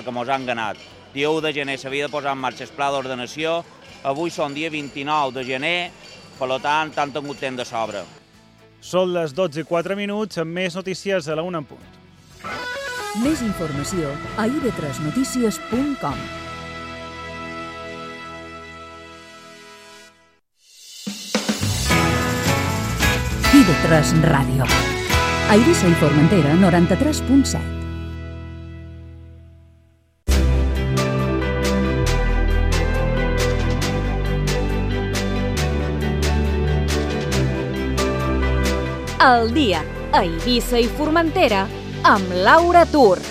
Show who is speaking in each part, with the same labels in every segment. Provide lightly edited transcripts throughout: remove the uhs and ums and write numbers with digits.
Speaker 1: perquè mos han ganat. Dia 1 de gener s'havia de posar en marxa el pla d'ordenació, avui són dia 29 de gener, per tant, han tingut temps de sobre.
Speaker 2: Són les 12:04, amb més notícies a la 1 en punt.
Speaker 3: Més informació a ib3notícies.com. IB3 Ràdio. A Eivissa i Formentera, 93.7.
Speaker 4: El dia a Eivissa i Formentera amb Laura Tur.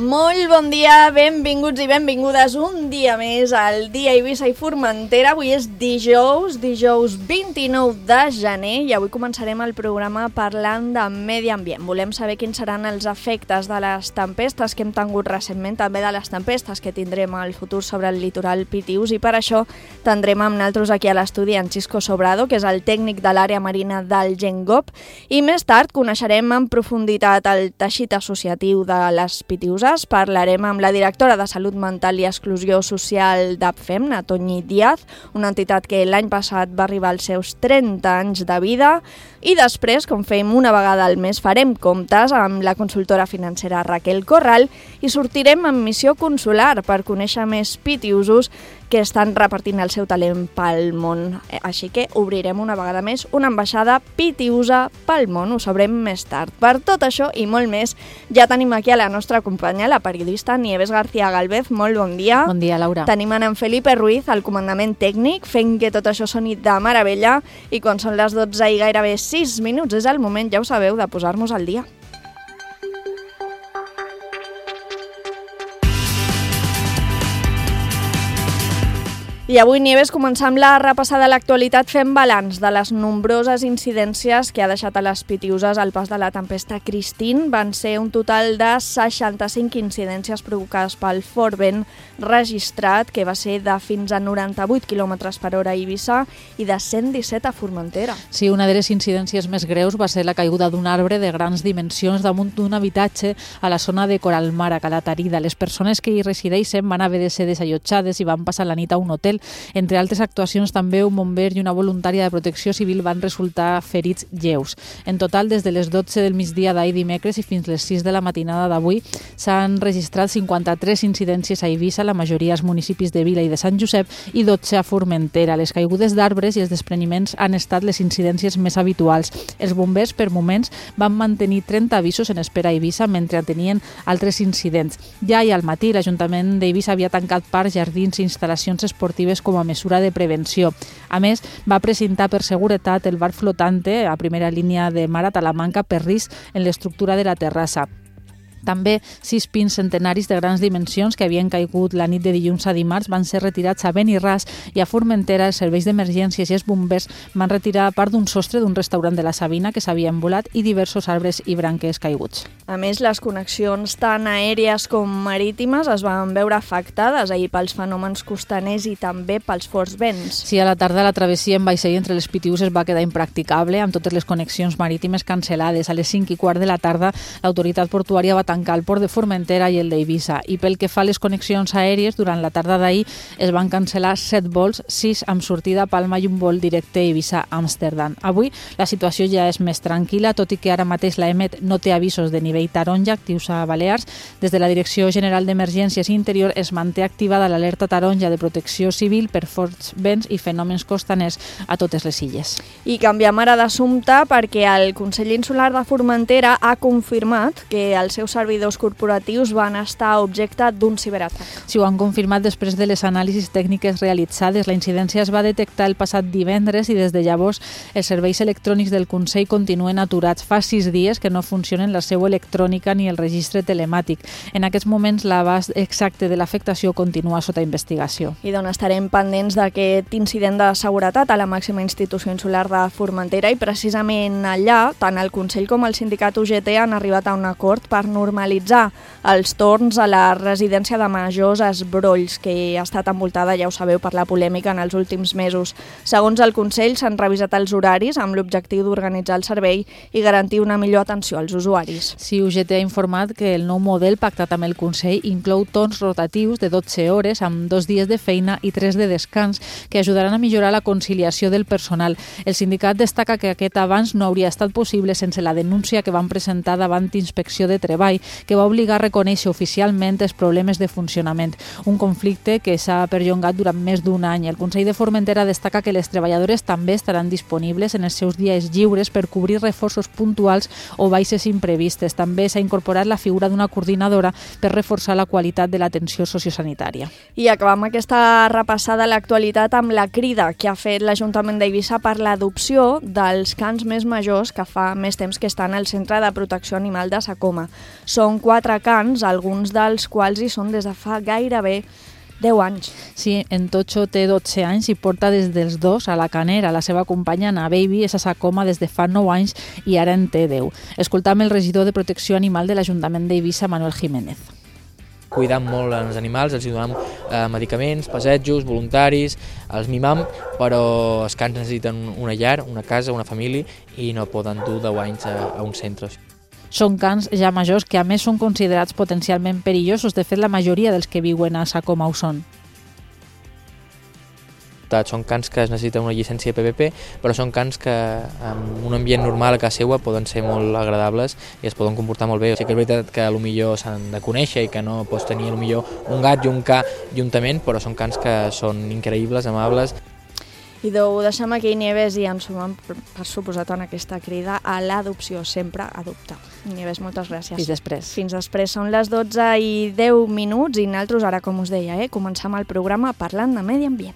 Speaker 5: Molt bon dia, benvinguts i benvingudes un dia més al dia Eivissa i Formentera. Avui és dijous 29 de gener i avui començarem el programa parlant de medi ambient. Volem saber quins seran els efectes de les tempestes que hem tingut recentment, també de les tempestes que tindrem al futur sobre el litoral Pitius, i per això tindrem amb nosaltres aquí a l'estudi en Xisco Sobrado, que és el tècnic de l'àrea marina del GenGop, i més tard coneixerem en profunditat el teixit associatiu de les pitiuses. Parlarem amb la directora de Salut Mental i Exclusió Social d'APFEM, Toñi Díaz, una entitat que l'any passat va arribar als seus 30 anys de vida, i després, com fem una vegada al mes, farem comptes amb la consultora financera Raquel Corral i sortirem en missió consular per conèixer més pitiusos que estan repartint el seu talent pel món. Així que obrirem una vegada més una ambaixada pitiusa pel món. Ho sabrem més tard. Per tot això i molt més, ja tenim aquí a la nostra companya, la periodista Nieves García Galvez. Molt bon dia.
Speaker 6: Bon dia, Laura.
Speaker 5: Tenim en Felipe Ruiz, al comandament tècnic, fent que tot això soni de meravella, i quan són les 12 i gairebé 6 minuts és el moment, ja ho sabeu, de posar-nos al dia. I avui, Nieves, començam la repassada de l'actualitat fent balanç de les nombroses incidències que ha deixat a les pitiuses al pas de la tempesta Christine. Van ser un total de 65 incidències provocades pel fort vent registrat, que va ser de fins a 98 km per hora a Eivissa i de 117 a Formentera.
Speaker 6: Sí, una de les incidències més greus va ser la caiguda d'un arbre de grans dimensions damunt d'un habitatge a la zona de Coralmar, a Calatarida. Les persones que hi resideixen van haver de ser desallotjades i van passar la nit a un hotel. Entre altres actuacions, també un bomber i una voluntària de protecció civil van resultar ferits lleus. En total, des de les 12 del migdia d'ahir dimecres i fins les 6 de la matinada d'avui, s'han registrat 53 incidències a Eivissa, la majoria als municipis de Vila i de Sant Josep, i 12 a Formentera. Les caigudes d'arbres i els despreniments han estat les incidències més habituals. Els bombers, per moments, van mantenir 30 avisos en espera a Eivissa mentre tenien altres incidents. Ja i al matí, l'Ajuntament d'Eivissa havia tancat parcs, jardins i instal·lacions esportives com a mesura de prevenció. A més, va presentar per seguretat el bar flotante a primera línia de mar a Talamanca per risc en l'estructura de la terrassa. També 6 pins centenaris de grans dimensions que havien caigut la nit de dilluns a dimarts van ser retirats a Beniràs, i a Formentera els serveis d'emergències i els bombers van retirar part d'un sostre d'un restaurant de la Sabina que s'havia envolat i diversos arbres i branques caiguts.
Speaker 5: A més, les connexions tant aèries com marítimes es van veure afectades ahir pels fenòmens costaners i també pels forts vents.
Speaker 6: Sí, a la tarda la travessia en vaixell entre les Pitiuses va quedar impracticable, amb totes les connexions marítimes cancel·lades. A les 5:15 de la tarda, l'autoritat portuària va tancar el port de Formentera i el d'Eivissa. I pel que fa a les connexions aèries, durant la tarda d'ahir es van cancel·lar 7 vols, 6 amb sortida a Palma i un vol directe a Eivissa-Amsterdam. Avui la situació ja és més tranquil·la, tot i que ara mateix la EMET no té avisos de nivell taronja actius a Balears. Des de la Direcció General d'Emergències i Interior es manté activada l'alerta taronja de protecció civil per forts vents i fenòmens costaners a totes les illes.
Speaker 5: I canviem ara d'assumpte perquè el Consell Insular de Formentera ha confirmat que els seus servidors corporatius van estar objecte d'un ciberatac.
Speaker 6: Si ho han confirmat després de les anàlisis tècniques realitzades, la incidència es va detectar el passat divendres i des de llavors els serveis electrònics del Consell continuen aturats. Fa 6 dies que no funcionen la seu electrònica ni el registre telemàtic. En aquests moments l'abast exacte de l'afectació continua sota investigació.
Speaker 5: I d'on estarem pendents d'aquest incident de seguretat a la màxima institució insular de Formentera, i precisament allà tant el Consell com el sindicat UGT han arribat a un acord per normalitzar normalitzar els torns a la residència de majors Esbrolls, que ha estat envoltada, ja ho sabeu, per la polèmica en els últims mesos. Segons el Consell, s'han revisat els horaris amb l'objectiu d'organitzar el servei i garantir una millor atenció als usuaris.
Speaker 6: Sí, UGT ha informat que el nou model pactat amb el Consell inclou torns rotatius de 12 hores amb 2 dies de feina i 3 de descans que ajudaran a millorar la conciliació del personal. El sindicat destaca que aquest avanç no hauria estat possible sense la denúncia que van presentar davant Inspecció de Treball, que va obligar a reconèixer oficialment els problemes de funcionament. Un conflicte que s'ha perllongat durant més d'un any. El Consell de Formentera destaca que les treballadores també estaran disponibles en els seus dies lliures per cobrir reforços puntuals o baixes imprevistes. També s'ha incorporat la figura d'una coordinadora per reforçar la qualitat de l'atenció sociosanitària.
Speaker 5: I acabam aquesta repassada a l'actualitat amb la crida que ha fet l'Ajuntament d'Eivissa per l'adopció dels cans més majors que fa més temps que estan al Centre de Protecció Animal de Sa Coma. Són 4 cans, alguns dels quals hi són des de fa gairebé 10 anys.
Speaker 6: Sí, en Tocho té 12 anys i porta des dels 2 a la Canera. La seva companya, Ana Baby, és a Sa Coma des de fa 9 anys i ara en té 10. Escoltam el regidor de Protecció Animal de l'Ajuntament d'Eivissa, Manuel Jiménez.
Speaker 7: Cuidam molt els animals, els donem medicaments, passejos, voluntaris, els mimam, però els cans necessiten una llar, una casa, una família i no poden dur 10 anys a un centre.
Speaker 6: Són cans ja majors que a més són considerats potencialment perillosos. De fet, la majoria dels que viuen a Sa Coma ho són.
Speaker 7: Són cans que es necessiten una llicència PPP, però són cans que en un ambient normal a casa seva poden ser molt agradables i es poden comportar molt bé. Sí que és veritat que potser s'han de conèixer i que no pots tenir potser un gat i un ca juntament, però són cans que són increïbles, amables.
Speaker 5: I ho deixem aquí, Nieves, i ens sumem, per suposat, en aquesta crida a l'adopció. Sempre adoptar. Nieves, moltes gràcies.
Speaker 6: Fins després.
Speaker 5: Fins després. Són les 12:10 i nosaltres, ara, com us deia, comencem el programa parlant de medi ambient.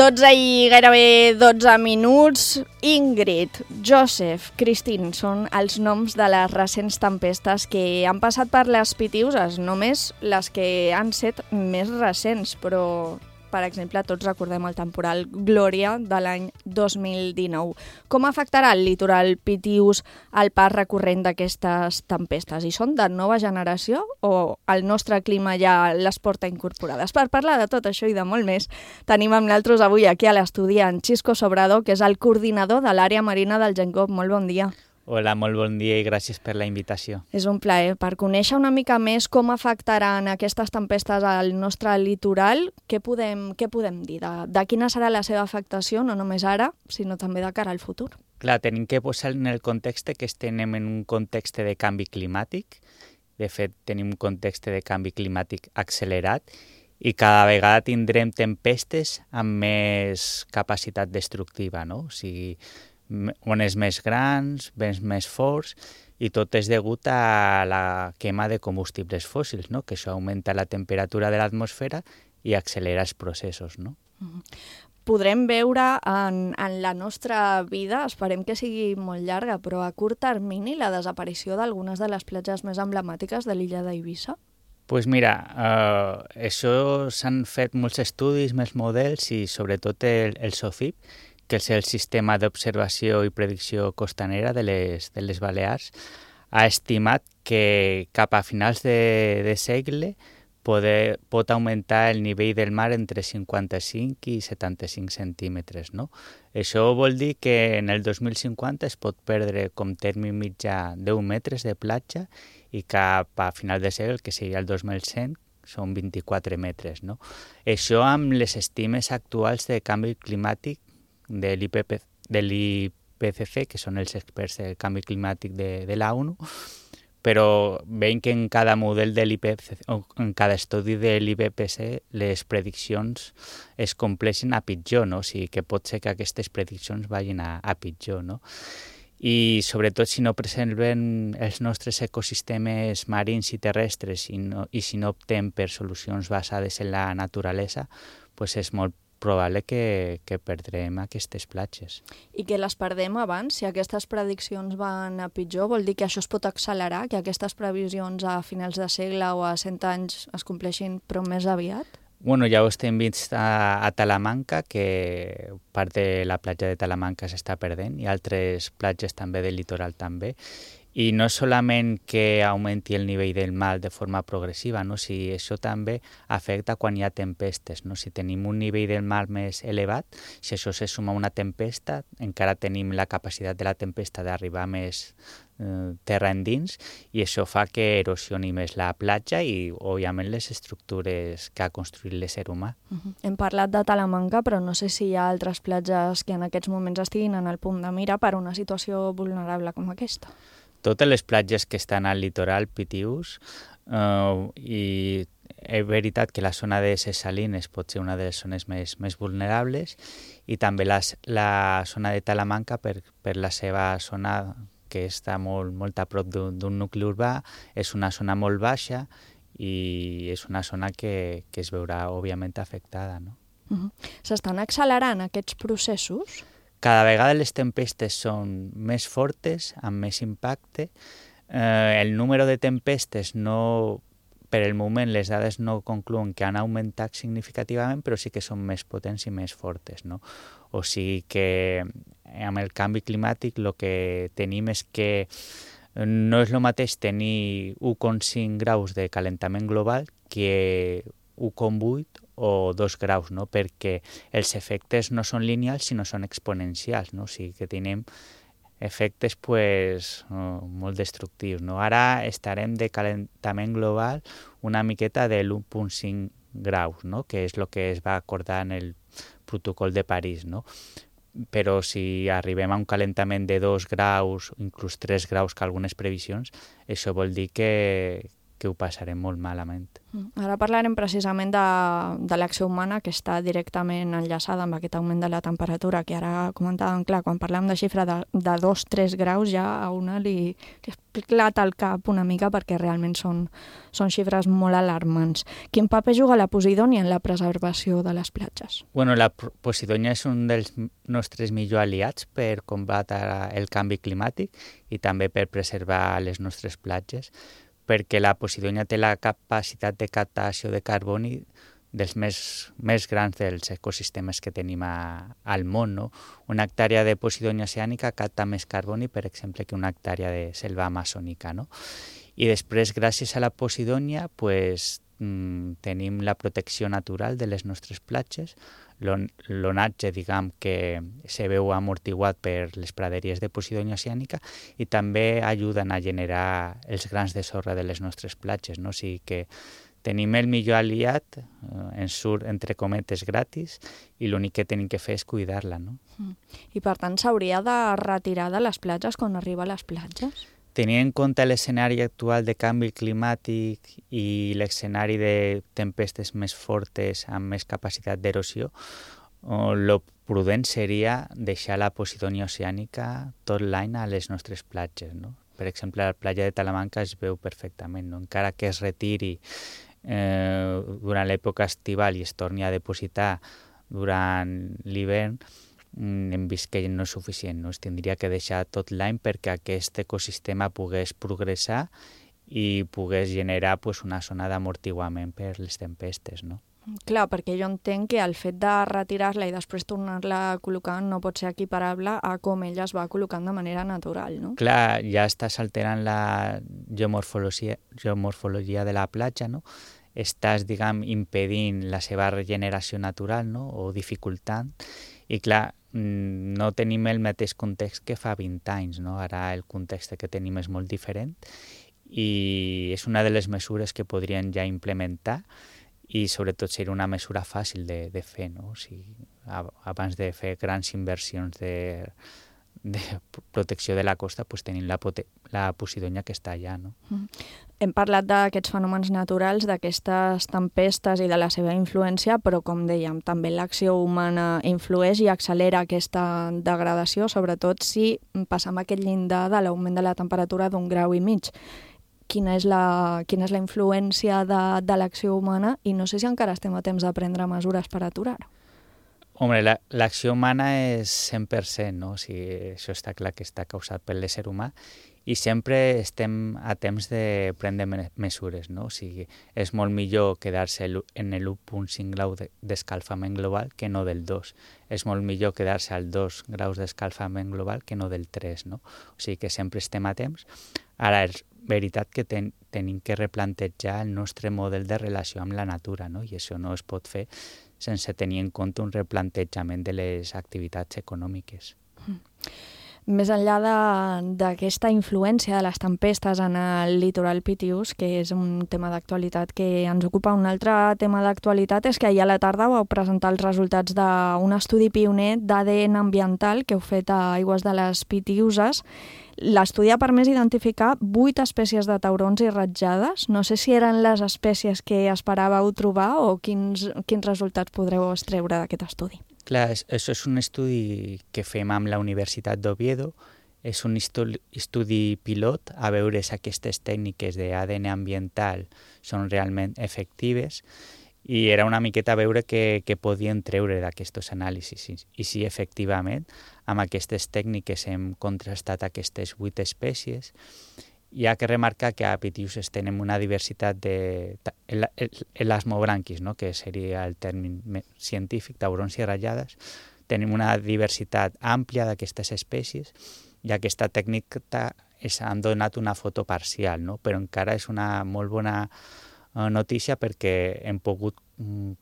Speaker 5: Gairebé 12 minuts. Ingrid, Joseph, Christine són els noms de les recents tempestes que han passat per les Pitiüses, només les que han set més recents, però, per exemple, tots recordem el temporal Glòria de l'any 2019. Com afectarà el litoral pitiüs el pas recurrent d'aquestes tempestes? I són de nova generació o el nostre clima ja les porta incorporades? Per parlar de tot això i de molt més, tenim amb nosaltres avui aquí a l'estudi en Xisco Sobrador, que és el coordinador de l'àrea marina del GenCop. Molt bon dia.
Speaker 1: Hola, molt bon dia i gràcies per la invitació.
Speaker 5: És un plaer. Per conèixer una mica més com afectaran aquestes tempestes al nostre litoral, què podem dir? De quina serà la seva afectació, no només ara, sinó també de cara al futur?
Speaker 1: Clar, tenim que posar en el context que estem en un context de canvi climàtic. De fet, tenim un context de canvi climàtic accelerat i cada vegada tindrem tempestes amb més capacitat destructiva, no? O sigui, ones més grans, vents més forts, i tot és degut a la quema de combustibles fòssils, no? Que això augmenta la temperatura de l'atmosfera i accelera els processos, no?
Speaker 5: Podrem veure en la nostra vida, esperem que sigui molt llarga, però a curt termini, la desaparició d'algunes de les platges més emblemàtiques de l'illa d'Eivissa?
Speaker 1: Doncs mira, això s'han fet molts estudis, molts models i sobretot el SOFIP, que és el Sistema d'Observació i Predicció Costanera de les Balears, ha estimat que cap a finals de segle pot augmentar el nivell del mar entre 55 i 75 centímetres, no? Això vol dir que en el 2050 es pot perdre com terme mitjà 10 metres de platja i cap a final de segle, que seria el 2100, són 24 metres, no? Això amb les estimes actuals de canvi climàtic de l'IPCC, que són els experts del canvi climàtic de la ONU, però veiem que en cada model de l'IPCC, o en cada estudi de l'IPCC, les prediccions es compleixen a pitjor, no? O sigui que pot ser que aquestes prediccions vagin a pitjor, no? I sobretot si no preservem els nostres ecosistemes marins i terrestres i si no optem per solucions basades en la naturalesa, pues és molt probable que perdrem aquestes platges.
Speaker 5: I que les perdem abans? Si aquestes prediccions van a pitjor, vol dir que això es pot accelerar, que aquestes previsions a finals de segle o a 100 anys es compleixin però més aviat?
Speaker 1: Bueno, ja ho estem vist a Talamanca, que part de la platja de Talamanca s'està perdent i altres platges també del litoral també. I no solament que augmenti el nivell del mar de forma progressiva, no? Si això també afecta quan hi ha tempestes. No? Si tenim un nivell del mar més elevat, si això se suma a una tempesta, encara tenim la capacitat de la tempesta d'arribar més terra endins i això fa que erosioni més la platja i, òbviament, les estructures que ha construït l'ésser humà.
Speaker 5: Hem parlat de Talamanca, però no sé si hi ha altres platges que en aquests moments estiguin en el punt de mira per una situació vulnerable com aquesta.
Speaker 1: Totes les platges que estan al litoral pitius i és veritat que la zona de ses Salines pot ser una de les zones més vulnerables i també la zona de Talamanca per la seva zona que està molt a prop d'un nucli urbà, és una zona molt baixa i és una zona que es veurà òbviament afectada. No?
Speaker 5: S'estan accelerant aquests processos?
Speaker 1: Cada vegada les tempestes són més fortes, amb més impacte. El número de tempestes no, per el moment les dades no concluen que han augmentat significativament, però sí que són més potents i més fortes. No? O sigui que amb el canvi climàtic el que tenim és que no és el mateix tenir 1,5 graus de calentament global que 1,8 o 2 graus, no? Perquè els efectes no són lineals sinó són exponencials, no? O sigui que tenim efectes molt destructius. No? Ara estarem de calentament global una miqueta de l'1,5 graus, no? Que és el que es va acordar en el protocol de París. No? Però si arribem a un calentament de 2 graus, inclús 3 graus, que algunes previsions, això vol dir que ho passarem molt malament.
Speaker 5: Ara parlarem precisament de l'acció humana que està directament enllaçada amb aquest augment de la temperatura, que ara comentàvem, clar, quan parlem de xifra de 2-3 graus ja a una li esclata el cap una mica perquè realment són xifres molt alarmants. Quin paper juga la Posidònia en la preservació de les platges?
Speaker 1: Bueno, la Posidònia és un dels nostres millors aliats per combatre el canvi climàtic i també per preservar les nostres platges, perquè la Posidònia té la capacitat de captació de carboni dels més grans dels ecosistemes que tenim al món. No? Una hectàrea de Posidònia oceànica capta més carboni, per exemple, que una hectàrea de selva amazònica. No? I després, gràcies a la Posidònia, tenim la protecció natural de les nostres platges, l'onatge, diguem, que se veu amortiguat per les praderies de Posidònia oceànica i també ajuden a generar els grans de sorra de les nostres platges. No? O sigui que tenim el millor aliat, ens surt, entre cometes, gratis, i l'únic que tenim que fer és cuidar-la. No?
Speaker 5: I per tant s'hauria de retirar de les platges quan arriba a les platges?
Speaker 1: Tenint en compte l'escenari actual de canvi climàtic i l'escenari de tempestes més fortes amb més capacitat d'erosió, el prudent seria deixar la Posidònia oceànica tot l'any a les nostres platges. No? Per exemple, a la platja de Talamanca es veu perfectament. No? Encara que es retiri durant l'època estival i es torni a depositar durant l'hivern, hem vist que no és suficient, no? Es tindria que deixar tot l'any perquè aquest ecosistema pogués progressar i pogués generar una zona d'amortiguament per les tempestes. No?
Speaker 5: Clar, perquè jo entenc que el fet de retirar-la i després tornar-la a col·locar no pot ser equiparable a com ella es va col·locant de manera natural, no?
Speaker 1: Clar, ja estàs alterant la geomorfologia de la platja, no? Estàs, diguem, impedint la seva regeneració natural, no? O dificultant. I clar, no tenim el mateix context que fa 20 anys. No? Ara el context que tenim és molt diferent i és una de les mesures que podrien ja implementar i sobretot seria una mesura fàcil de fer. No? O sigui, abans de fer grans inversions protecció de la costa, pues, tenim la Posidonia que està allà, no?
Speaker 5: Hem parlat d'aquests fenòmens naturals, d'aquestes tempestes i de la seva influència, però, com dèiem, també l'acció humana influeix i accelera aquesta degradació, sobretot si passam aquest llindar de l'augment de la temperatura d'1,5 graus. Quina és la influència de l'acció humana i no sé si encara estem a temps de prendre mesures per aturar-ho.
Speaker 1: Home, l'acció humana és 100%, no? O sigui, això està clar que està causat per l'ésser humà i sempre estem a temps de prendre mesures, no? O sigui, és molt millor quedar-se en l'1,5 grau d'escalfament global que no del 2. És molt millor quedar-se al 2 graus d'escalfament global que no del 3, no? O sigui que sempre estem a temps. Ara, és veritat que tenim que replantejar el nostre model de relació amb la natura, no? I això no es pot fer sense tenir en compte un replantejament de les activitats econòmiques.
Speaker 5: Més enllà d'aquesta influència de les tempestes en el litoral Pitiús, que és un tema d'actualitat que ens ocupa, un altre tema d'actualitat és que ahir a la tarda vau presentar els resultats d'un estudi pioner d'ADN ambiental que heu fet a aigües de les Pitiüses. L'estudi ha permès identificar 8 espècies de taurons i ratjades. No sé si eren les espècies que esperàveu trobar o quins resultats podreu extreure d'aquest estudi.
Speaker 1: Clar, això és un estudi que fem amb la Universitat d'Oviedo. És un estudi pilot a veure si aquestes tècniques d'ADN ambiental són realment efectives i era una miqueta a veure què podien treure d'aquests anàlisis. I sí, efectivament, amb aquestes tècniques hem contrastat aquestes 8 espècies. Hi ha que remarcar que a Pitiús tenim una diversitat elasmobranquis, no? Que seria el terme científic, taurons i ratllades. Tenim una diversitat àmplia d'aquestes espècies i aquesta tècnica han donat una foto parcial, no? Però encara és una molt bona notícia perquè hem pogut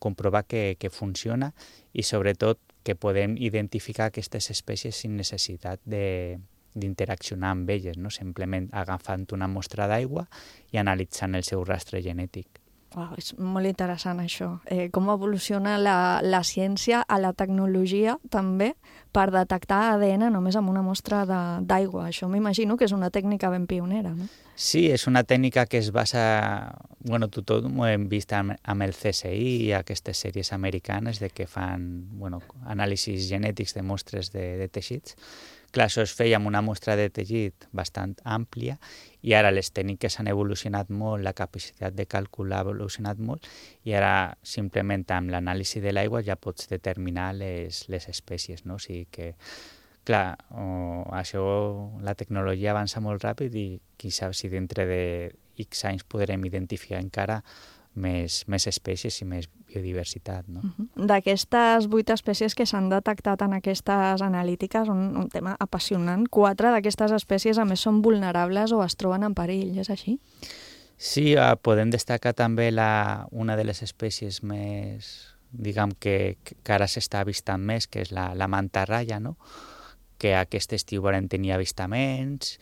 Speaker 1: comprovar que funciona i sobretot que podem identificar aquestes espècies sin necessitat d'interaccionar amb elles, no? Simplement agafant una mostra d'aigua i analitzant el seu rastre genètic.
Speaker 5: Wow, és molt interessant això. Com evoluciona la ciència a la tecnologia també per detectar ADN només amb una mostra d'aigua. Això m'imagino que és una tècnica ben pionera, no?
Speaker 1: Sí, és una tècnica que es basa... Bueno, tothom ho hem vist amb el CSI i aquestes sèries americanes de que fan anàlisis genètics de mostres de teixits. Clar, això es feia amb una mostra de teixit bastant àmplia i ara les tècniques han evolucionat molt, la capacitat de càlcul ha evolucionat molt i ara simplement amb l'anàlisi de l'aigua ja pots determinar les espècies, no? O sigui que, clar, la tecnologia avança molt ràpid i qui sap si dintre de X anys podrem identificar encara més espècies i més biodiversitat, no?
Speaker 5: D'aquestes 8 espècies que s'han detectat en aquestes analítiques, un tema apassionant, 4 d'aquestes espècies a més són vulnerables o es troben en perill, és així?
Speaker 1: Sí, podem destacar també una de les espècies més, diguem que ara s'està avistant més, que és la mantarraya, no? Que aquest estiu van tenir avistaments,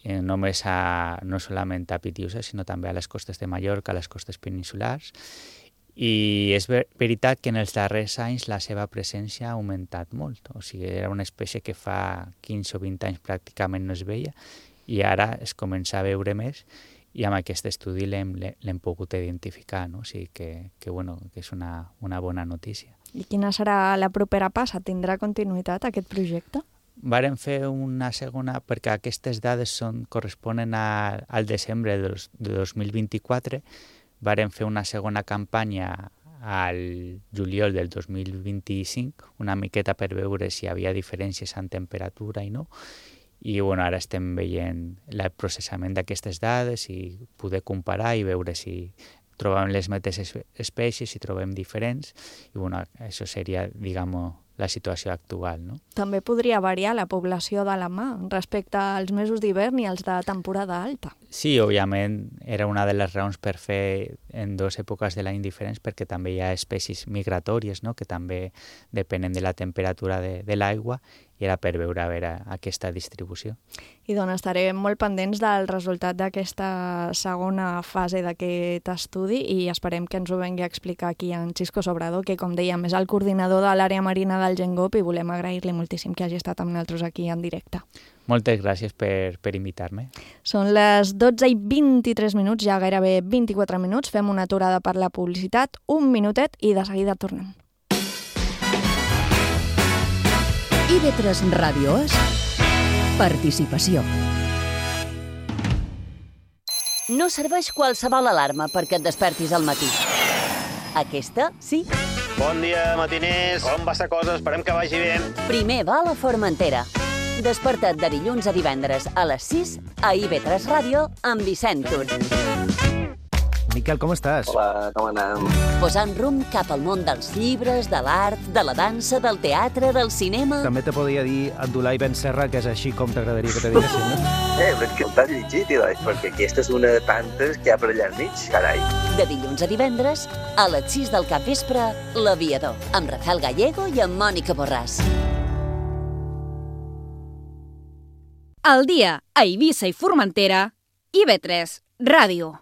Speaker 1: només no solament a Pitiusa, sinó també a les costes de Mallorca, a les costes peninsulars. I és veritat que en els darrers anys la seva presència ha augmentat molt. O sigui, era una espècie que fa 15 o 20 anys pràcticament no es veia i ara es comença a veure més i amb aquest estudi l'hem pogut identificar, no? O sigui que és una bona notícia.
Speaker 5: I quina serà la propera passa? Tindrà continuïtat aquest projecte?
Speaker 1: Vàrem fer una segona, perquè aquestes dades corresponen al desembre de 2024, vàrem fer una segona campanya al juliol del 2025, una miqueta per veure si hi havia diferències en temperatura i no, i ara estem veient el processament d'aquestes dades i poder comparar i veure si trobem les mateixes espècies, si trobem diferents, i això seria, diguem-ho, la situació actual, no?
Speaker 5: També podria variar la població de la mà respecte als mesos d'hivern i als de temporada alta.
Speaker 1: Sí, òbviament era una de les raons per fer en 2 èpoques de l'any diferents, perquè també hi ha espècies migratòries, no?, que també depenen de la temperatura de l'aigua era per veure aquesta distribució.
Speaker 5: I doncs estarem molt pendents del resultat d'aquesta segona fase d'aquest estudi i esperem que ens ho vengui a explicar aquí en Xisco Sobrador, que com dèiem és el coordinador de l'àrea marina del GenGop i volem agrair-li moltíssim que hagi estat amb nosaltres aquí en directe.
Speaker 1: Moltes gràcies per invitar-me.
Speaker 5: Són les 12:23, ja gairebé 24 minuts. Fem una aturada per la publicitat, un minutet i de seguida tornem.
Speaker 3: IB3 Ràdio és participació.
Speaker 8: No serveix qualsevol alarma perquè et despertis al matí. Aquesta, sí.
Speaker 9: Bon dia, matiners. Com va la cosa? Esperem que vagi bé.
Speaker 8: Primer va a la Formentera. Desperta't de dilluns a divendres a les 6 a IB3 Ràdio amb Vicent Tur.
Speaker 10: Miquel, com estàs?
Speaker 9: Hola, com anem?
Speaker 8: Posant rumb cap al món dels llibres, de l'art, de la dansa, del teatre, del cinema...
Speaker 10: També te podia dir Abdulai Ben Serra, que és així com t'agradaria que te diguessin, no?
Speaker 9: Però que t'has llegit, perquè aquesta és una de tantes que hi ha per allà al mig, carai.
Speaker 8: De dilluns a divendres, a les 6 del capvespre, L'Aviador, amb Rafael Gallego i amb Mònica Borràs.
Speaker 4: Al dia a Eivissa i Formentera, IB3 Ràdio.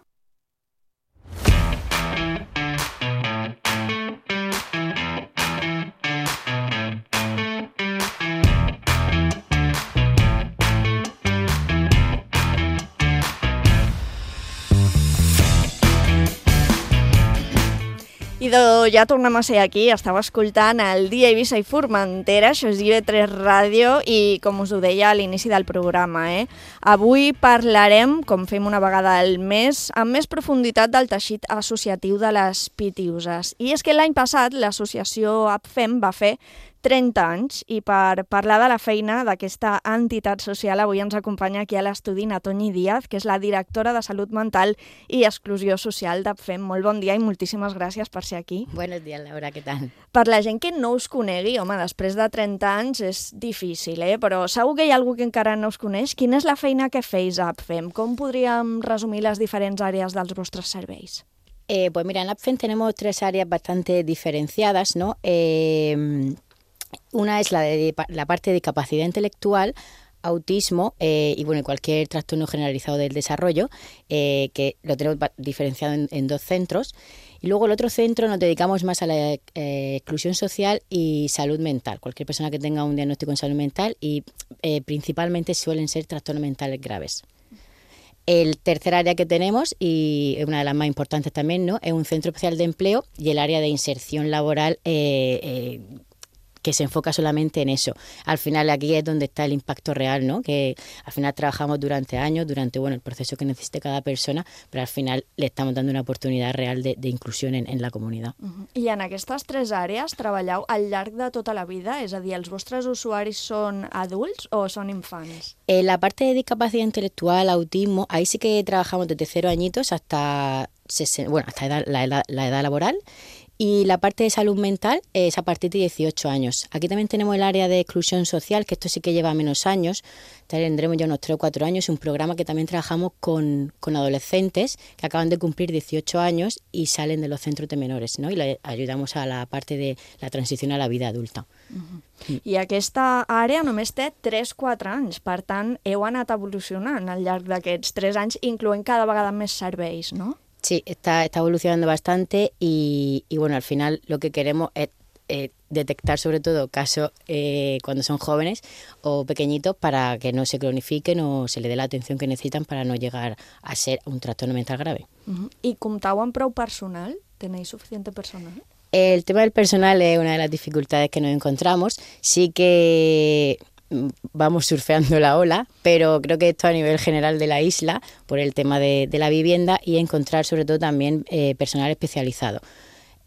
Speaker 5: I ja tornem a ser aquí, estava escoltant el Dia Eivissa i Formentera, això és IB3 Ràdio i com us ho deia a l'inici del programa, avui parlarem, com fem una vegada al mes, amb més profunditat del teixit associatiu de les Pitiuses. I és que l'any passat l'associació APFEM va fer 30 anys i per parlar de la feina d'aquesta entitat social avui ens acompanya aquí a l'estudi Natoñi Díaz, que és la directora de Salut Mental i Exclusió Social d'APFEM. Molt bon dia i moltíssimes gràcies per ser aquí.
Speaker 11: Buenos días, Laura, què tal?
Speaker 5: Per la gent que no us conegui, home, després de 30 anys és difícil, però segur que hi ha algú que encara no us coneix. Quina és la feina que feis a APFEM? Com podríem resumir les diferents àrees dels vostres serveis?
Speaker 11: Pues mira, en APFEM tenemos 3 áreas bastante diferenciadas, ¿no? Una es la parte de capacidad intelectual, autismo y bueno, cualquier trastorno generalizado del desarrollo, que lo tenemos diferenciado en 2 centros. Y luego el otro centro nos dedicamos más a la exclusión social y salud mental. Cualquier persona que tenga un diagnóstico en salud mental y principalmente suelen ser trastornos mentales graves. El tercer área que tenemos, y una de las más importantes también, ¿no?, es un centro especial de empleo y el área de inserción laboral que se enfoca solamente en eso. Al final aquí es donde está el impacto real, ¿no? Que al final trabajamos durante años, durante el proceso que necesite cada persona, però al final le estamos dando una oportunidad real de inclusión en la comunitat.
Speaker 5: I en aquestes 3 àrees treballeu al llarg de tota la vida? És a dir, els vostres usuaris són adults o són infants?
Speaker 11: En la parte de discapacidad intelectual, autismo, ahí sí que trabajamos desde 0 añitos hasta la edad laboral. Y la parte de salud mental es a partir de 18 años. Aquí también tenemos el área de exclusión social, que esto sí que lleva menos años. Tendremos ya unos 3 o 4 años. Un programa que también trabajamos con adolescentes que acaban de cumplir 18 años y salen de los centros de menores, ¿no? Y le ayudamos a la parte de la transición a la vida adulta.
Speaker 5: I aquesta àrea només té 3-4 anys. Per tant, heu anat evolucionant al llarg d'aquests 3 anys, incloent cada vegada més serveis, no?
Speaker 11: Sí, está evolucionando bastante y bueno, al final lo que queremos es detectar sobre todo casos cuando son jóvenes o pequeñitos para que no se cronifiquen o se le dé la atención que necesitan para no llegar a ser un trastorno mental grave.
Speaker 5: I comptau amb prou personal? ¿Tenéis suficiente personal?
Speaker 11: El tema del personal es una de las dificultades que nos encontramos. Sí que vamos surfeando la ola, pero creo que esto a nivel general de la isla, por el tema de la vivienda y encontrar sobre todo también personal especializado.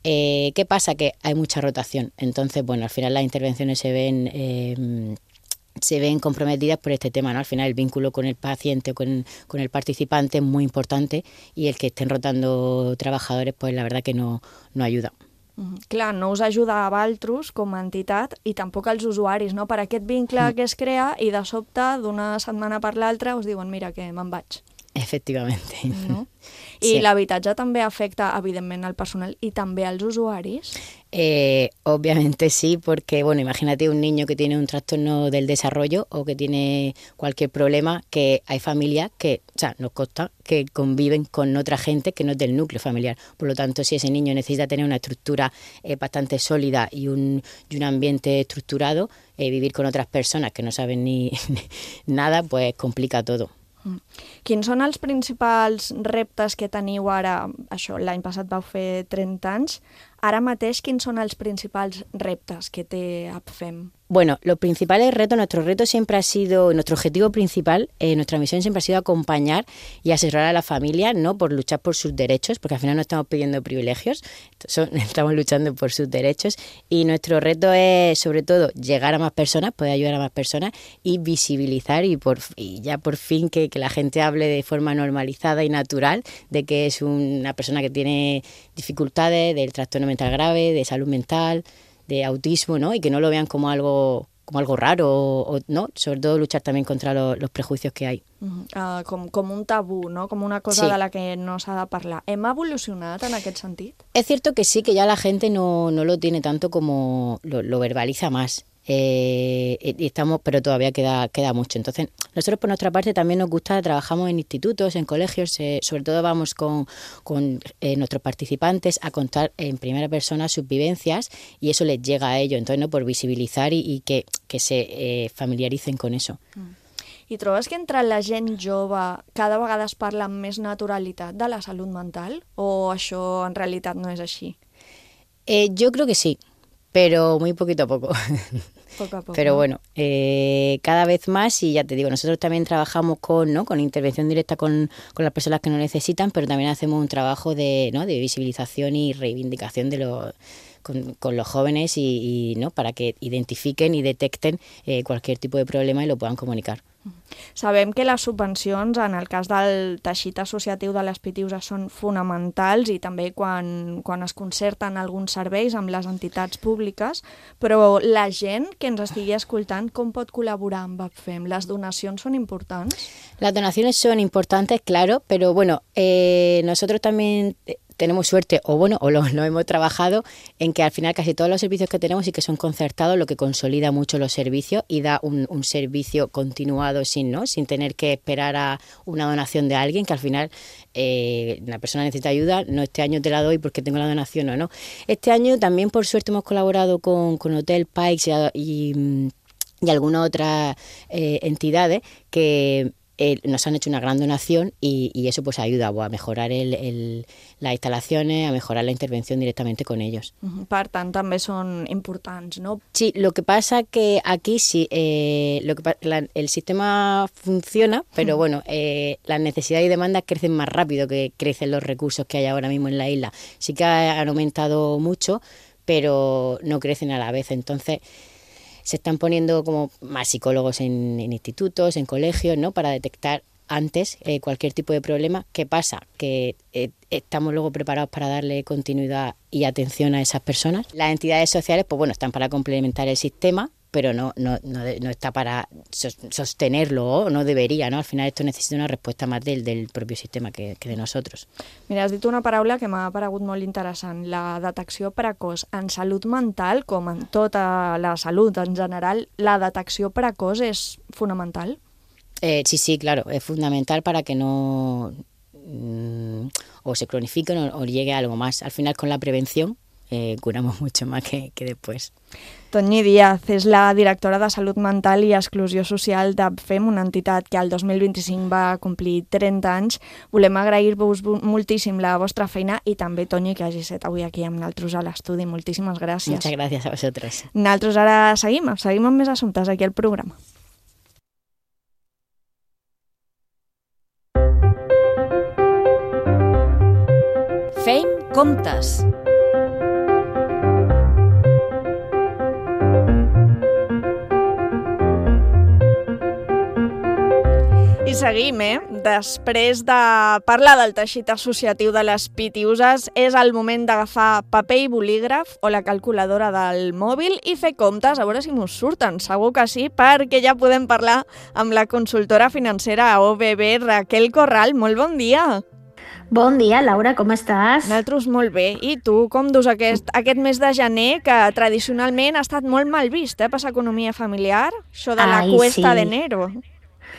Speaker 11: ¿Qué pasa? Que hay mucha rotación, entonces bueno, al final las intervenciones se ven comprometidas por este tema, ¿no? Al final el vínculo con el paciente, con el participante es muy importante y el que estén rotando trabajadores, pues la verdad que no ayuda.
Speaker 5: Clar, no us ajuda a vosaltres com a entitat i tampoc als usuaris, no? Per aquest vincle que es crea i de sobte, d'una setmana per l'altra, us diuen, mira, que me'n vaig.
Speaker 11: Efectivamente.
Speaker 5: No? I l'habitatge també afecta, evidentment, al personal y també als usuaris?
Speaker 11: Obviamente sí, porque, bueno, imagínate un niño que tiene un trastorno del desarrollo o que tiene cualquier problema, que hay familias que, o sea, nos consta que conviven con otra gente que no es del núcleo familiar. Por lo tanto, si ese niño necesita tener una estructura bastante sólida y un ambiente estructurado, vivir con otras personas que no saben ni nada, pues complica todo.
Speaker 5: Quins són els principals reptes que teniu ara? Això, l'any passat vau fer 30 anys. Ara mateix, quins són els principals reptes que té APFEM?
Speaker 11: Bueno, los principales retos, nuestro reto siempre ha sido, nuestro objetivo principal, nuestra misión siempre ha sido acompañar y asesorar a la familia, ¿no? Por luchar por sus derechos, porque al final no estamos pidiendo privilegios, estamos luchando por sus derechos, y nuestro reto es, sobre todo, llegar a más personas, poder ayudar a más personas y visibilizar y ya por fin que la gente hable de forma normalizada y natural de que es una persona que tiene dificultades, del trastorno mental grave, de salud mental, de autismo, ¿no? Y que no lo vean como algo raro, o no, sobre todo luchar también contra los prejuicios que hay.
Speaker 5: Com un tabú, no? Com una cosa de la que no s'ha de parlar. Hem evolucionat en aquest sentit?
Speaker 11: Es cierto que sí, que ya la gente no lo tiene tanto como lo verbaliza más. Pero todavía queda mucho. Entonces, nosotros por nuestra parte también nos gusta, trabajamos en institutos, en colegios, sobre todo vamos con nuestros participantes a contar en primera persona sus vivencias, y eso les llega a ellos, entonces, ¿no? Por visibilizar y que se familiaricen con eso.
Speaker 5: I trobes que entre la gent jove cada vegada es parla amb més naturalitat de la salut mental, o això en realitat no és així?
Speaker 11: Yo creo que sí, pero muy poquito a poco.
Speaker 5: Poco a poco.
Speaker 11: Pero bueno, cada vez más, y ya te digo, nosotros también trabajamos con intervención directa con las personas que no necesitan, pero también hacemos un trabajo de visibilización y reivindicación con los jóvenes y ¿no? Para que identifiquen y detecten cualquier tipo de problema y lo puedan comunicar.
Speaker 5: Sabem que les subvencions, en el cas del teixit associatiu de les PTUs, són fonamentals, i també quan es concerten alguns serveis amb les entitats públiques, però la gent que ens estigui escoltant, com pot col·laborar amb APFEM? Les donacions són importants?
Speaker 11: Las donaciones son importantes, claro, pero bueno, nosotros también tenemos suerte, o lo hemos trabajado, en que al final casi todos los servicios que tenemos sí que son concertados, lo que consolida mucho los servicios y da un servicio continuado sin tener que esperar a una donación de alguien, que al final la persona necesita ayuda, no, este año te la doy porque tengo la donación o no. Este año también, por suerte, hemos colaborado con Hotel Pikes y algunas otras entidades que nos han hecho una gran donación, y eso pues ayuda a mejorar las instalaciones, a mejorar la intervención directamente con ellos.
Speaker 5: Per tant, també són importants, no?
Speaker 11: Sí, lo que pasa que aquí sí, el sistema funciona, pero bueno, las necesidades y demandas crecen más rápido que crecen los recursos que hay ahora mismo en la isla. Sí que han aumentado mucho, pero no crecen a la vez, entonces se están poniendo como más psicólogos en institutos, en colegios, ¿no? Para detectar antes cualquier tipo de problema. ¿Qué pasa? Que estamos luego preparados para darle continuidad y atención a esas personas. Las entidades sociales, pues bueno, están para complementar el sistema, pero no está para sostenerlo, o no debería, ¿no? Al final esto necesita una respuesta más del propio sistema que de nosotros.
Speaker 5: Mira, has dit una paraula que m'ha paregut molt interessant, la detecció precoç. En salut mental, com en tota la salut en general, la detecció precoç és fonamental?
Speaker 11: Sí, claro, es fundamental para que no o se cronifiquen o llegue a algo más. Al final, con la prevención curamos mucho más que después.
Speaker 5: Toñi Díaz és la directora de Salut Mental i Exclusió Social d'APFEM, una entitat que el 2025 va complir 30 anys. Volem agrair-vos moltíssim la vostra feina, i també, Toñi, que hagi estat avui aquí amb nosaltres a l'estudi. Moltíssimes gràcies.
Speaker 11: Muchas gracias a vosotros.
Speaker 5: Nosaltres ara seguim amb més assumptes aquí al programa.
Speaker 3: Fem comptes.
Speaker 5: I seguim, Després de parlar del teixit associatiu de les pitiuses, és el moment d'agafar paper i bolígraf o la calculadora del mòbil i fer comptes, a veure si mos surten. Segur que sí, perquè ja podem parlar amb la consultora financera OBB, Raquel Corral. Molt bon dia!
Speaker 12: Bon dia, Laura, com estàs?
Speaker 5: Nosaltres molt bé. I tu, com dus aquest mes de gener, que tradicionalment ha estat molt mal vist, per l'economia familiar? Això de la cuesta d'enero.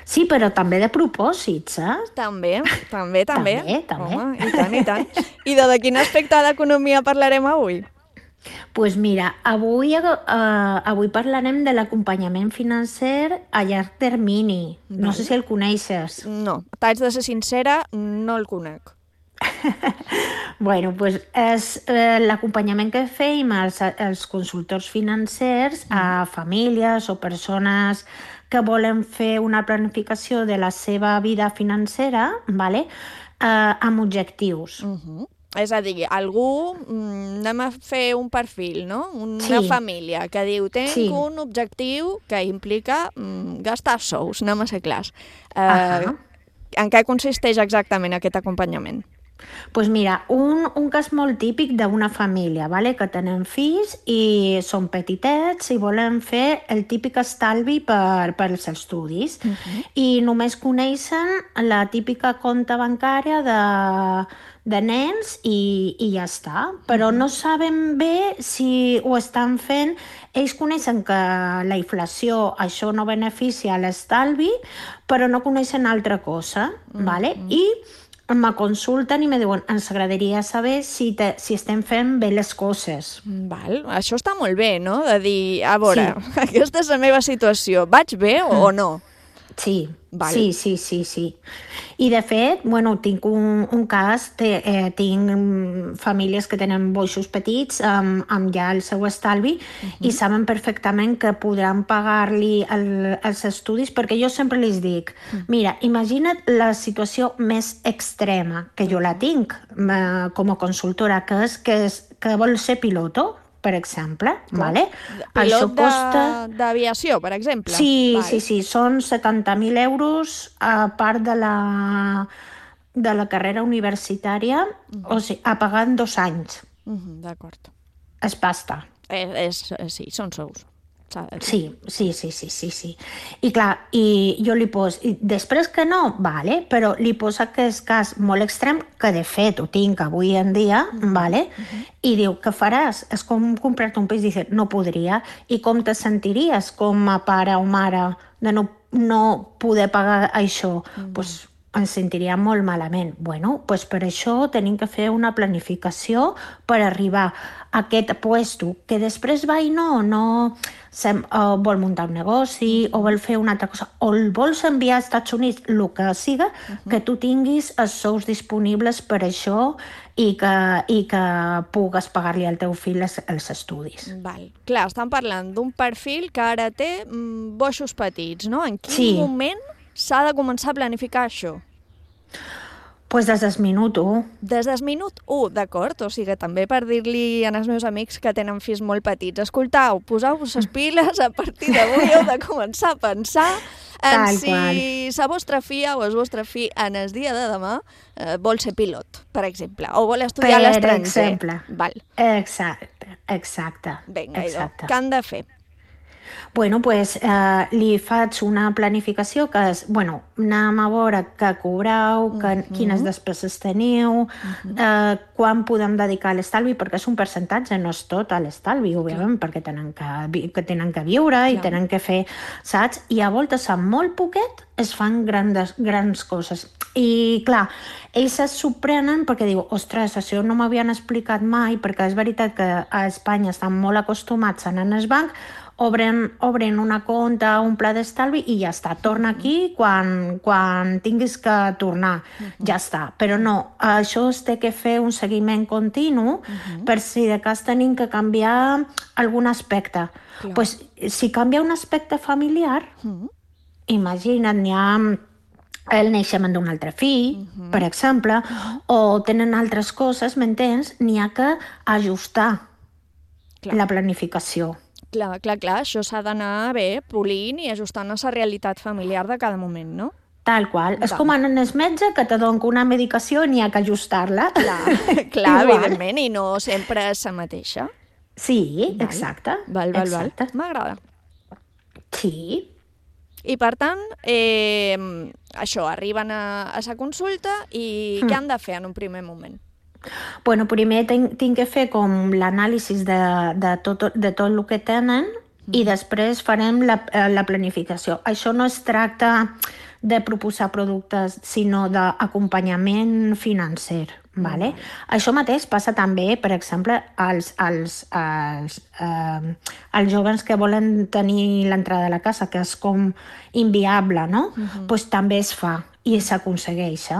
Speaker 12: Sí, però també de propòsits,
Speaker 5: També. També.
Speaker 12: Home,
Speaker 5: i tant. I de quin aspecte de l'economia parlarem avui?
Speaker 12: Doncs mira, avui parlarem de l'acompanyament financer a llarg termini. No sé si el coneixes.
Speaker 5: No, t'haig de ser sincera, no el conec.
Speaker 12: Bueno, doncs és l'acompanyament que feim els consultors financers a famílies o persones que volen fer una planificació de la seva vida financera, amb objectius.
Speaker 5: És a dir, algú, anem a fer un perfil, no? Una família que diu, tinc un objectiu que implica gastar sous, anem a ser clars. En què consisteix exactament aquest acompanyament?
Speaker 12: Doncs mira, un cas molt típic d'una família, que tenen fills i són petitets i volen fer el típic estalvi per als estudis. I només coneixen la típica compta bancària de nens i ja està. Però no saben bé si ho estan fent. Ells coneixen que la inflació, això no beneficia l'estalvi, però no coneixen altra cosa. I me consulten i me diuen, ens agradaria saber si estem fent bé les coses.
Speaker 5: Això està molt bé, no? De dir, a veure, aquesta és la meva situació, vaig bé o no?
Speaker 12: Sí. I de fet, tinc un cas, tinc famílies que tenen boixos petits amb ja el seu estalvi i saben perfectament que podran pagar-li els estudis, perquè jo sempre els dic, mira, imagina't la situació més extrema, que jo la tinc com a consultora, que és que vol ser piloto, per exemple.
Speaker 5: Pilot d'aviació, per exemple?
Speaker 12: Sí, són 70.000 euros a part de la carrera universitària, o sigui, a pagar en 2 anys.
Speaker 5: D'acord.
Speaker 12: És pasta.
Speaker 5: Sí, són sous.
Speaker 12: Sí. I clar, jo li poso... Després que no, però li poso aquest cas molt extrem, que de fet ho tinc avui en dia, i diu, què faràs? És com comprar-te un pis, i dius, no podria. I com te sentiries com a pare o mare de no poder pagar això? Doncs ens sentiria molt malament. Doncs per això tenim que fer una planificació per arribar a aquest puesto, que després va i no vol muntar un negoci o vol fer una altra cosa, o el vols enviar als Estats Units, el que siga, que tu tinguis els sous disponibles per això i que pugues pagar-li al teu fill els estudis.
Speaker 5: Clar, estan parlant d'un perfil que ara té boixos petits, no? En quin moment s'ha de començar a planificar això?
Speaker 12: Doncs des del minut 1.
Speaker 5: Des del minut 1, d'acord. O sigui, també per dir-li als meus amics que tenen fills molt petits, escoltau, poseu-vos les piles, a partir d'avui heu de començar a pensar en si la vostra filla o el vostre fill en el dia de demà vol ser pilot, per exemple, o vol estudiar a l'estranger.
Speaker 12: Per exemple. Exacte.
Speaker 5: Vinga, què han de fer?
Speaker 12: Doncs li faig una planificació que és, anem a veure què cobreu, quines despeses teniu, quan podem dedicar a l'estalvi, perquè és un percentatge, no és tot a l'estalvi, òbviament, perquè tenen que viure i tenen que fer, saps? I a voltes, amb molt poquet, es fan grans coses. I, clar, ells es sorprenen perquè diu, ostres, això no m'havien explicat mai, perquè és veritat que a Espanya estan molt acostumats a anar al banc, obren una compta, un pla d'estalvi i ja està. Torna aquí quan tinguis que tornar. Ja està. Però no, això es té que fer un seguiment continu per si de cas tenim que canviar algun aspecte. Pues, si canvia un aspecte familiar, imagina't, n'hi ha el naixement d'un altre fill, per exemple, o tenen altres coses, m'entens? N'hi ha que ajustar la planificació.
Speaker 5: Clar, això s'ha d'anar polint i ajustant a la realitat familiar de cada moment, no?
Speaker 12: Tal qual. És com en el metge que te dona una medicació i n'hi ha que ajustar-la.
Speaker 5: Clar, evidentment, i no sempre és la mateixa.
Speaker 12: Sí, exacte.
Speaker 5: Val. M'agrada.
Speaker 12: Sí.
Speaker 5: I per tant, això, arriben a la consulta i què han de fer en un primer moment?
Speaker 12: Bueno, primer tinc que fer com l'anàlisi de tot el que tenen i després farem la planificació. Això no es tracta de proposar productes, sinó d'acompanyament financer. Vale? Això mateix passa també, per exemple, als joves que volen tenir l'entrada a la casa, que és com inviable, no? Pues també es fa i s'aconsegueix.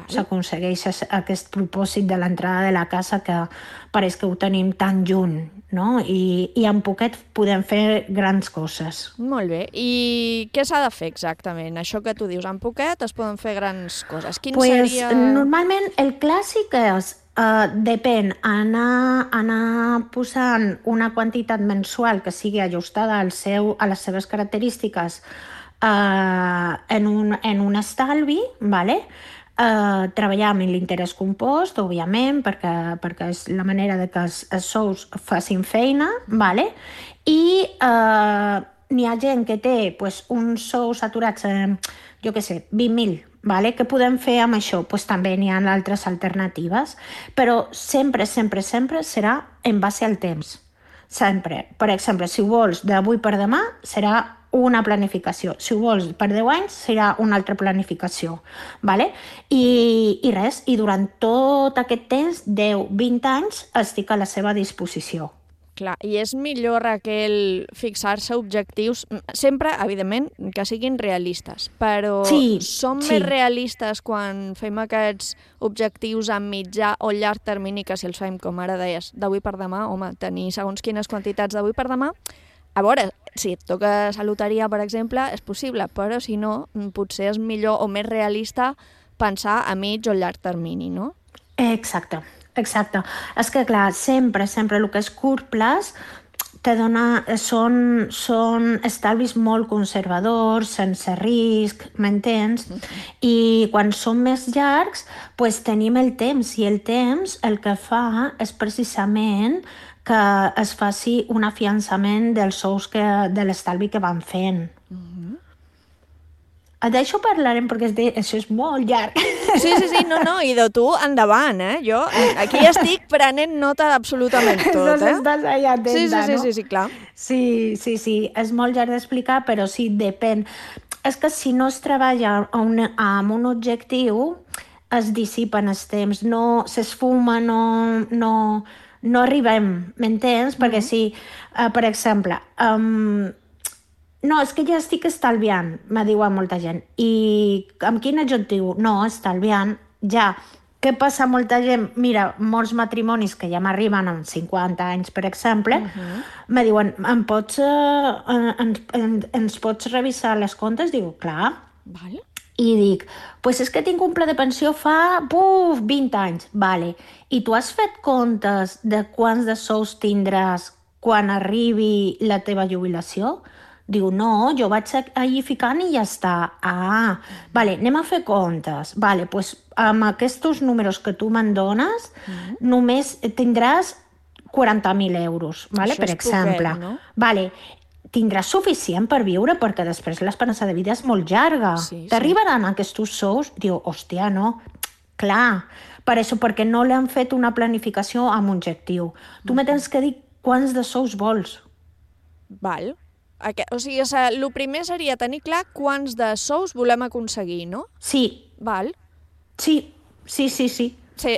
Speaker 12: S'aconsegueix aquest propòsit de l'entrada de la casa que pareix que ho tenim tan lluny, no? I en poquet podem fer grans coses.
Speaker 5: Molt bé. I què s'ha de fer exactament? Això que tu dius, en poquet es poden fer grans coses. Quin seria...
Speaker 12: Normalment el clàssic és, depèn, anar posant una quantitat mensual que sigui ajustada a les seves característiques en un estalvi, vale? Treballar amb l'interès compost, òbviament, perquè és la manera de que els sous facin feina, vale? I n'hi ha gent que té uns sous aturats, jo què sé, 20.000, vale? Què podem fer amb això? També n'hi ha altres alternatives, però sempre serà en base al temps. Sempre. Per exemple, si ho vols d'avui per demà, serà una planificació. Si ho vols per 10 anys, serà una altra planificació. Vale? I res, i durant tot aquest temps, 10-20 anys, estic a la seva disposició.
Speaker 5: Clar, i és millor, Raquel, fixar-se objectius, sempre, evidentment, que siguin realistes, però som més realistes quan fem aquests objectius a mitjà o llarg termini que si els fem, com ara deies, d'avui per demà, home, tenir segons quines quantitats d'avui per demà. A veure, si et toca la loteria, per exemple, és possible, però si no, potser és millor o més realista pensar a mig o llarg termini, no?
Speaker 12: Exacte. És que, clar, sempre el que és curt plaç són estalvis molt conservadors, sense risc, m'entens? I quan són més llargs, tenim el temps, i el temps el que fa és precisament que es faci un afiançament dels sous de l'estalvi que van fent. D'això parlarem perquè això és molt llarg.
Speaker 5: Sí, no, i de tu endavant, Jo aquí estic prenent nota d'absolutament tot,
Speaker 12: No estàs allà atenta, no?
Speaker 5: Sí, clar.
Speaker 12: Sí, és molt llarg d'explicar, però sí, depèn. És que si no es treballa amb un objectiu, es dissipen els temps, no s'esfuma, no arribem, m'entens? Perquè si, per exemple, no, és que ja estic estalviant, me diuen molta gent. I amb quin objectiu? No, estalviant, ja. Què passa molta gent? Mira, molts matrimonis que ja m'arriben amb 50 anys, per exemple, me diuen, ens pots revisar les comptes? Diu, clar.
Speaker 5: Vale.
Speaker 12: I dic, és que tinc un pla de pensió fa 20 anys. Vale. I tu has fet comptes de quants de sous tindràs quan arribi la teva jubilació? Diu, no, jo vaig allí ficant i ja està. Vale, anem a fer comptes. Vale, amb aquests números que tu me'n dones, només tindràs 40.000 euros, vale, per exemple.
Speaker 5: Poquet, no?
Speaker 12: Vale, tindràs suficient per viure perquè després l'esperança de vida és molt llarga. T'arribaran aquests sous? Diu, hòstia, no. Clar, per això, perquè no li han fet una planificació amb un objectiu. Tu me tens que dir quants de sous vols.
Speaker 5: Val. O sigui, el primer seria tenir clar quants de sous volem aconseguir, no?
Speaker 12: Sí.
Speaker 5: Val.
Speaker 12: Sí.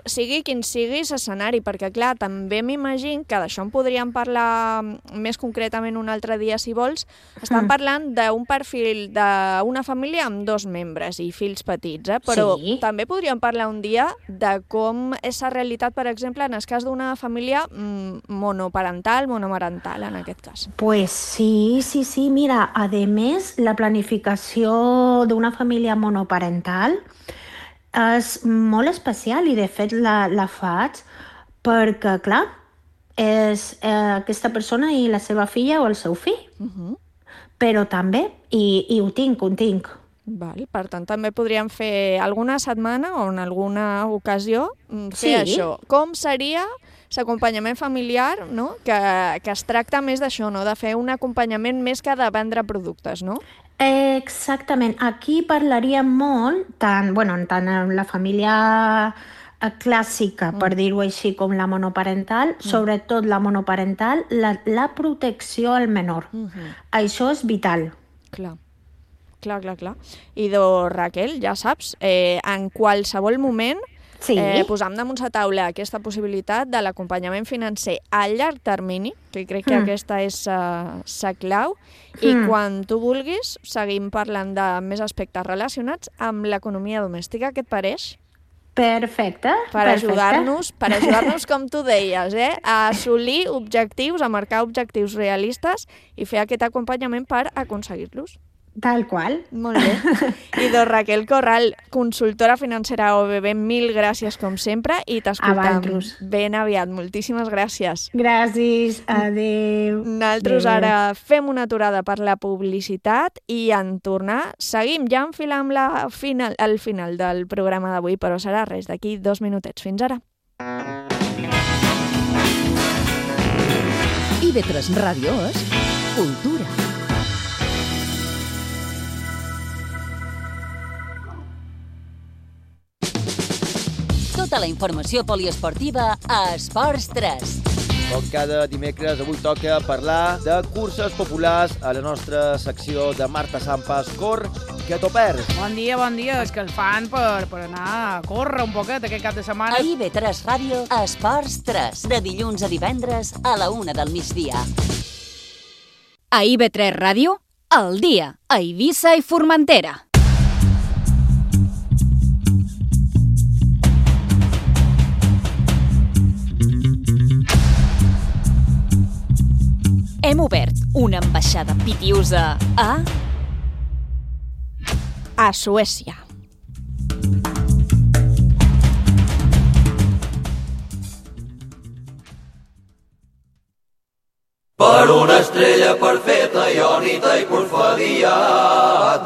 Speaker 5: Sigui quin sigui l'escenari, perquè, clar, també m'imagino que d'això en podríem parlar més concretament un altre dia, si vols. Estan parlant d'un perfil d'una família amb 2 membres i fills petits, però també podríem parlar un dia de com és la realitat, per exemple, en el cas d'una família monoparental, monomarental, en aquest cas.
Speaker 12: Pues sí. Mira, a més, la planificació d'una família monoparental és molt especial i de fet la faig perquè, clar, és aquesta persona i la seva filla o el seu fill. Però també, i ho tinc,
Speaker 5: Val, per tant, també podríem fer alguna setmana o en alguna ocasió fer
Speaker 11: Sí.
Speaker 5: això. Com seria l'acompanyament familiar, no? Que es tracta més d'això, no? De fer un acompanyament més que de vendre productes, no?
Speaker 12: Exactament. Aquí parlaríem molt, tant en la família clàssica, per dir-ho així, com la monoparental, sobretot la monoparental, la protecció al menor. Això és vital.
Speaker 5: Clar. I Raquel, ja saps, en qualsevol moment
Speaker 12: Sí.
Speaker 5: posam damunt la taula aquesta possibilitat de l'acompanyament financer a llarg termini, que crec que aquesta és la clau, i quan tu vulguis seguim parlant de més aspectes relacionats amb l'economia domèstica. Què et pareix?
Speaker 12: Perfecte.
Speaker 5: Per ajudar-nos, com tu deies, a assolir objectius, a marcar objectius realistes i fer aquest acompanyament per aconseguir-los.
Speaker 12: Tal qual.
Speaker 5: Molt bé. I Raquel Corral, consultora financera OBB, mil gràcies com sempre i t'escoltam ben aviat. Moltíssimes gràcies.
Speaker 12: Gràcies, adeu.
Speaker 5: Nosaltres ara fem una aturada per la publicitat i en tornar seguim ja enfilant al final del programa d'avui, però serà res, d'aquí 2 minutets. Fins ara.
Speaker 3: IB3 Ràdio és cultura.
Speaker 8: Tota la informació poliesportiva a Esports 3.
Speaker 10: Com cada dimecres, avui toca parlar de curses populars a la nostra secció de Marta Sampas. Cor, que t'ho perds.
Speaker 13: Bon dia. És que el fan per anar a córrer un poquet aquest cap de setmana.
Speaker 8: A IB3 Ràdio, Esports 3. De dilluns a divendres a la 1 del migdia.
Speaker 4: A IB3 Ràdio, al dia, a Eivissa i Formentera. Hem obert una ambaixada pitiusa
Speaker 5: a Suècia.
Speaker 14: Per una estrella perfecta, iònita i porfadia,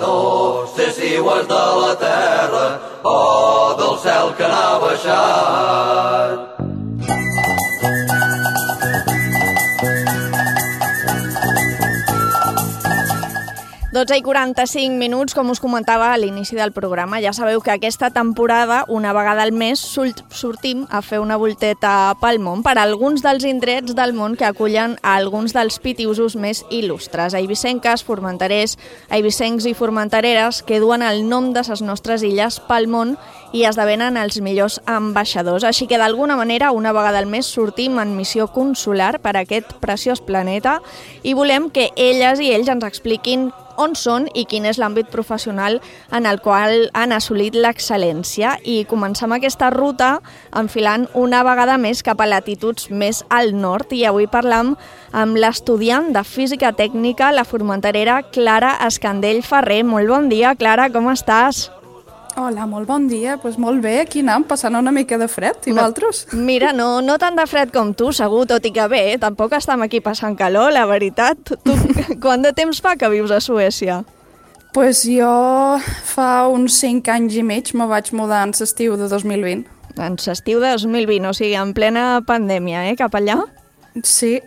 Speaker 14: no sé si ho és de la terra o del cel que n'ha baixat.
Speaker 5: 12:45, com us comentava a l'inici del programa. Ja sabeu que aquesta temporada, una vegada al mes, sortim a fer una volteta pel món per a alguns dels indrets del món que acullen a alguns dels pitiusos més il·lustres. Eivissenques, formenterers, eivissencs i formentereres que duen el nom de les nostres illes pel món i esdevenen els millors ambaixadors. Així que, d'alguna manera, una vegada al mes sortim en missió consular per a aquest preciós planeta i volem que elles i ells ens expliquin on són i quin és l'àmbit professional en el qual han assolit l'excel·lència. I comencem aquesta ruta enfilant una vegada més cap a latituds més al nord. I avui parlam amb l'estudiant de Física Tècnica, la formenterera Clara Escandell Ferrer. Molt bon dia, Clara, com estàs?
Speaker 15: Hola, molt bon dia. Doncs molt bé, aquí anem, passant una mica de fred. I vosaltres?
Speaker 5: Mira, no tant de fred com tu, segur, tot i que bé, tampoc estem aquí passant calor, la veritat. Tu quant de temps fa que vius a Suècia?
Speaker 15: Doncs jo fa uns 5 anys i mig me vaig mudar en l'estiu de 2020.
Speaker 5: En l'estiu de 2020, o sigui, en plena pandèmia, cap allà?
Speaker 15: Sí.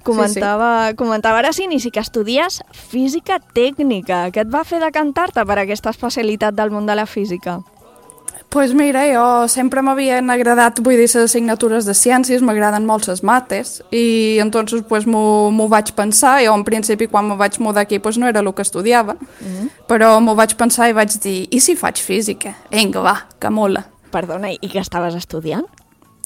Speaker 5: Comentava ara s'inici que estudies Física Tècnica. Què et va fer decantar-te per aquesta especialitat del món de la física?
Speaker 15: Doncs mira, jo sempre m'havien agradat, les assignatures de ciències, m'agraden molt les mates, i entonces m'ho vaig pensar. Jo en principi quan me vaig mudar aquí no era el que estudiava, però m'ho vaig pensar i vaig dir, i si faig física? Vinga, va, que mola.
Speaker 5: Perdona, i què estaves estudiant?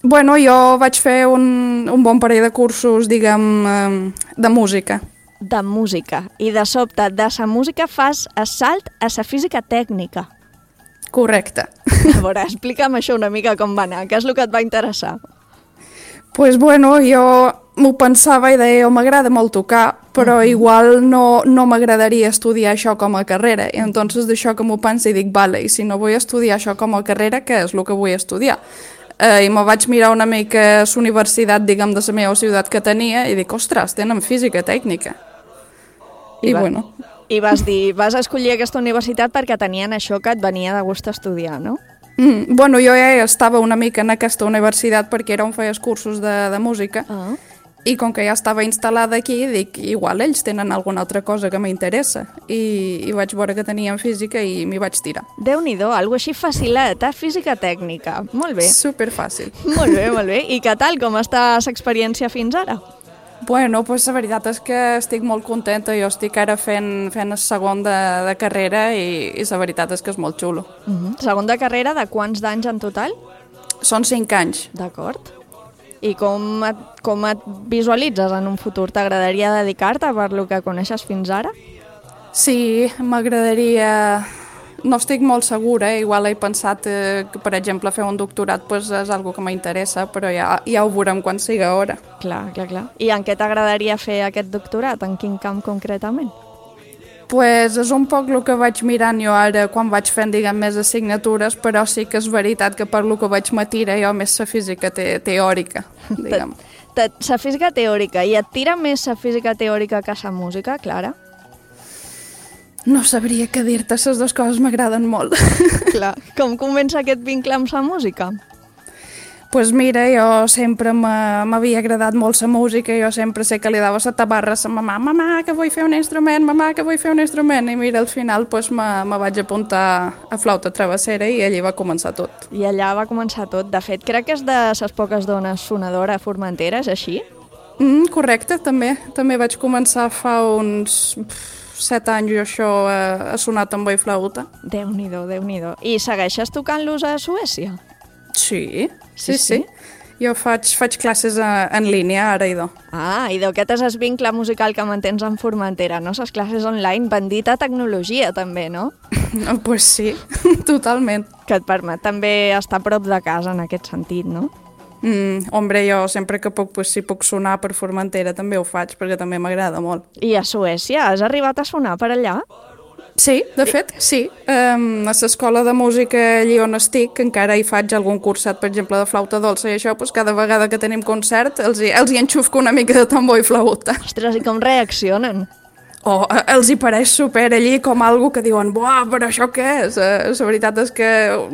Speaker 15: Bueno, jo vaig fer un bon parell de cursos, diguem, de música.
Speaker 5: De música. I de sobte, de la música fas assalt a la física tècnica.
Speaker 15: Correcte.
Speaker 5: A veure, explica'm això una mica com va anar. Què és el que et va interessar?
Speaker 15: Doncs bueno, jo m'ho pensava i deia, m'agrada molt tocar, però igual no m'agradaria estudiar això com a carrera. I entonces d'això que m'ho penso i dic, vale, i si no vull estudiar això com a carrera, què és el que vull estudiar? I me vaig mirar una mica la universitat, diguem, de la meva ciutat que tenia i dic, ostres, tenen física tècnica. I
Speaker 5: I vas escollir aquesta universitat perquè tenien això que et venia de gust estudiar, no?
Speaker 15: Bueno, jo ja estava una mica en aquesta universitat perquè era on feies cursos de música i com que ja estava instal·lada aquí, dic, igual ells tenen alguna altra cosa que m'interessa i vaig veure que tenien física i m'hi vaig tirar.
Speaker 5: Déu-n'hi-do, algo així facilet, física tècnica. Molt bé.
Speaker 15: Superfàcil.
Speaker 5: Molt bé, molt bé. I què tal, com està l'experiència fins ara?
Speaker 15: Bueno, pues la veritat és que estic molt contenta. Jo estic ara fent el segon de carrera i la veritat és que és molt xulo.
Speaker 5: Segon de carrera, de quants d'anys en total?
Speaker 15: Són 5 anys.
Speaker 5: D'acord. I com et visualitzes en un futur? T'agradaria dedicar-te per lo que coneixes fins ara?
Speaker 15: Sí, m'agradaria... No estic molt segura, igual he pensat que, per exemple, fer un doctorat pues, és algo que m'interessa, però ja ho veurem quan sigui hora.
Speaker 5: Clar. I en què t'agradaria fer aquest doctorat? En quin camp concretament?
Speaker 15: Pues és un poc el que vaig mirant jo ara quan vaig fent, diguem, més assignatures, però sí que és veritat que per lo que vaig m'atira jo més la física teòrica, diguem.
Speaker 5: La física teòrica, i et tira més la física teòrica que la música, Clara?
Speaker 15: No sabria què dir-te, les dues coses m'agraden molt.
Speaker 5: Clar, com comença aquest vincle amb la música?
Speaker 15: Pues mira, jo sempre m'havia agradat molt la música, jo sempre sé que li dava la tabarra a la mamà, que vull fer un instrument, mamà, que vull fer un instrument, i mira, al final pues, me vaig apuntar a flauta travessera i allà va començar tot.
Speaker 5: I allà va començar tot. De fet, crec que és de les poques dones sonadora a Formentera, és així?
Speaker 15: Correcte, també. També vaig començar fa uns 7 anys jo això a sonar tambor i flauta.
Speaker 5: Déu-n'hi-do, Déu-n'hi-do. I segueixes tocant-los a Suècia?
Speaker 15: Sí. Jo faig classes en línia, ara, idò.
Speaker 5: Idò, aquest és el vincle musical que mantens en Formentera, no? Les classes online, bendita tecnologia, també, no?
Speaker 15: Pues sí, totalment.
Speaker 5: Que et permet també estar a prop de casa, en aquest sentit, no?
Speaker 15: Hombre, jo sempre que puc, pues, si puc sonar per Formentera també ho faig, perquè també m'agrada molt.
Speaker 5: I a Suècia, has arribat a sonar per allà?
Speaker 15: Sí, de fet, sí. A l'escola de música allí on estic, encara hi faig algun curset, per exemple, de flauta dolça i això, doncs cada vegada que tenim concert els hi enxufco una mica de tambor i flauta.
Speaker 5: Ostres, i com reaccionen?
Speaker 15: Els hi pareix super allí com algo que diuen, buah, però això què és? La veritat és que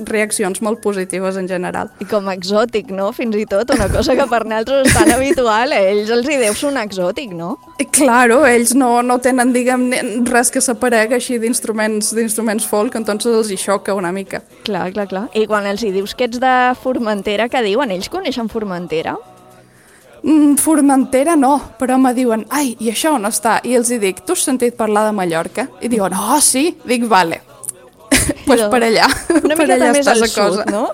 Speaker 15: reaccions molt positives en general.
Speaker 5: I com exòtic, no? Fins i tot, una cosa que per nosaltres és tan habitual, ells els hi deu sonar exòtic, no?
Speaker 15: Claro, ells no tenen, diguem, res que s'aparega així d'instruments folk, entonces els hi xoca una mica.
Speaker 5: Clar. I quan els hi dius que ets de Formentera, què diuen? Ells coneixen Formentera?
Speaker 15: Formentera no, però me diuen, ai, i això on està? I els hi dic, tu has sentit parlar de Mallorca? I diuen, sí. Dic, vale, pues per allà.
Speaker 5: Una miqueta més al sud, no?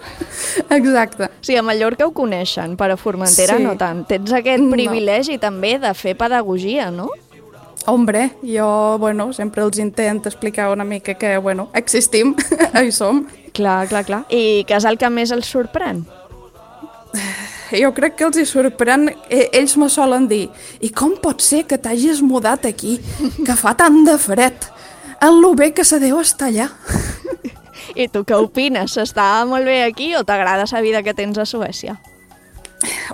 Speaker 15: Exacte.
Speaker 5: Sí, a Mallorca ho coneixen, però a Formentera no tant. Tens aquest privilegi també de fer pedagogia, no?
Speaker 15: Hombre, jo, sempre els intento explicar una mica que, existim, hi som.
Speaker 5: Clar. I què és el que més els sorprèn?
Speaker 15: Jo crec que els hi sorprèn, ells me solen dir, i com pot ser que t'hagis mudat aquí, que fa tant de fred, en lo bé que se deu estar allà.
Speaker 5: I tu què opines? S'està molt bé aquí o t'agrada la vida que tens a Suècia?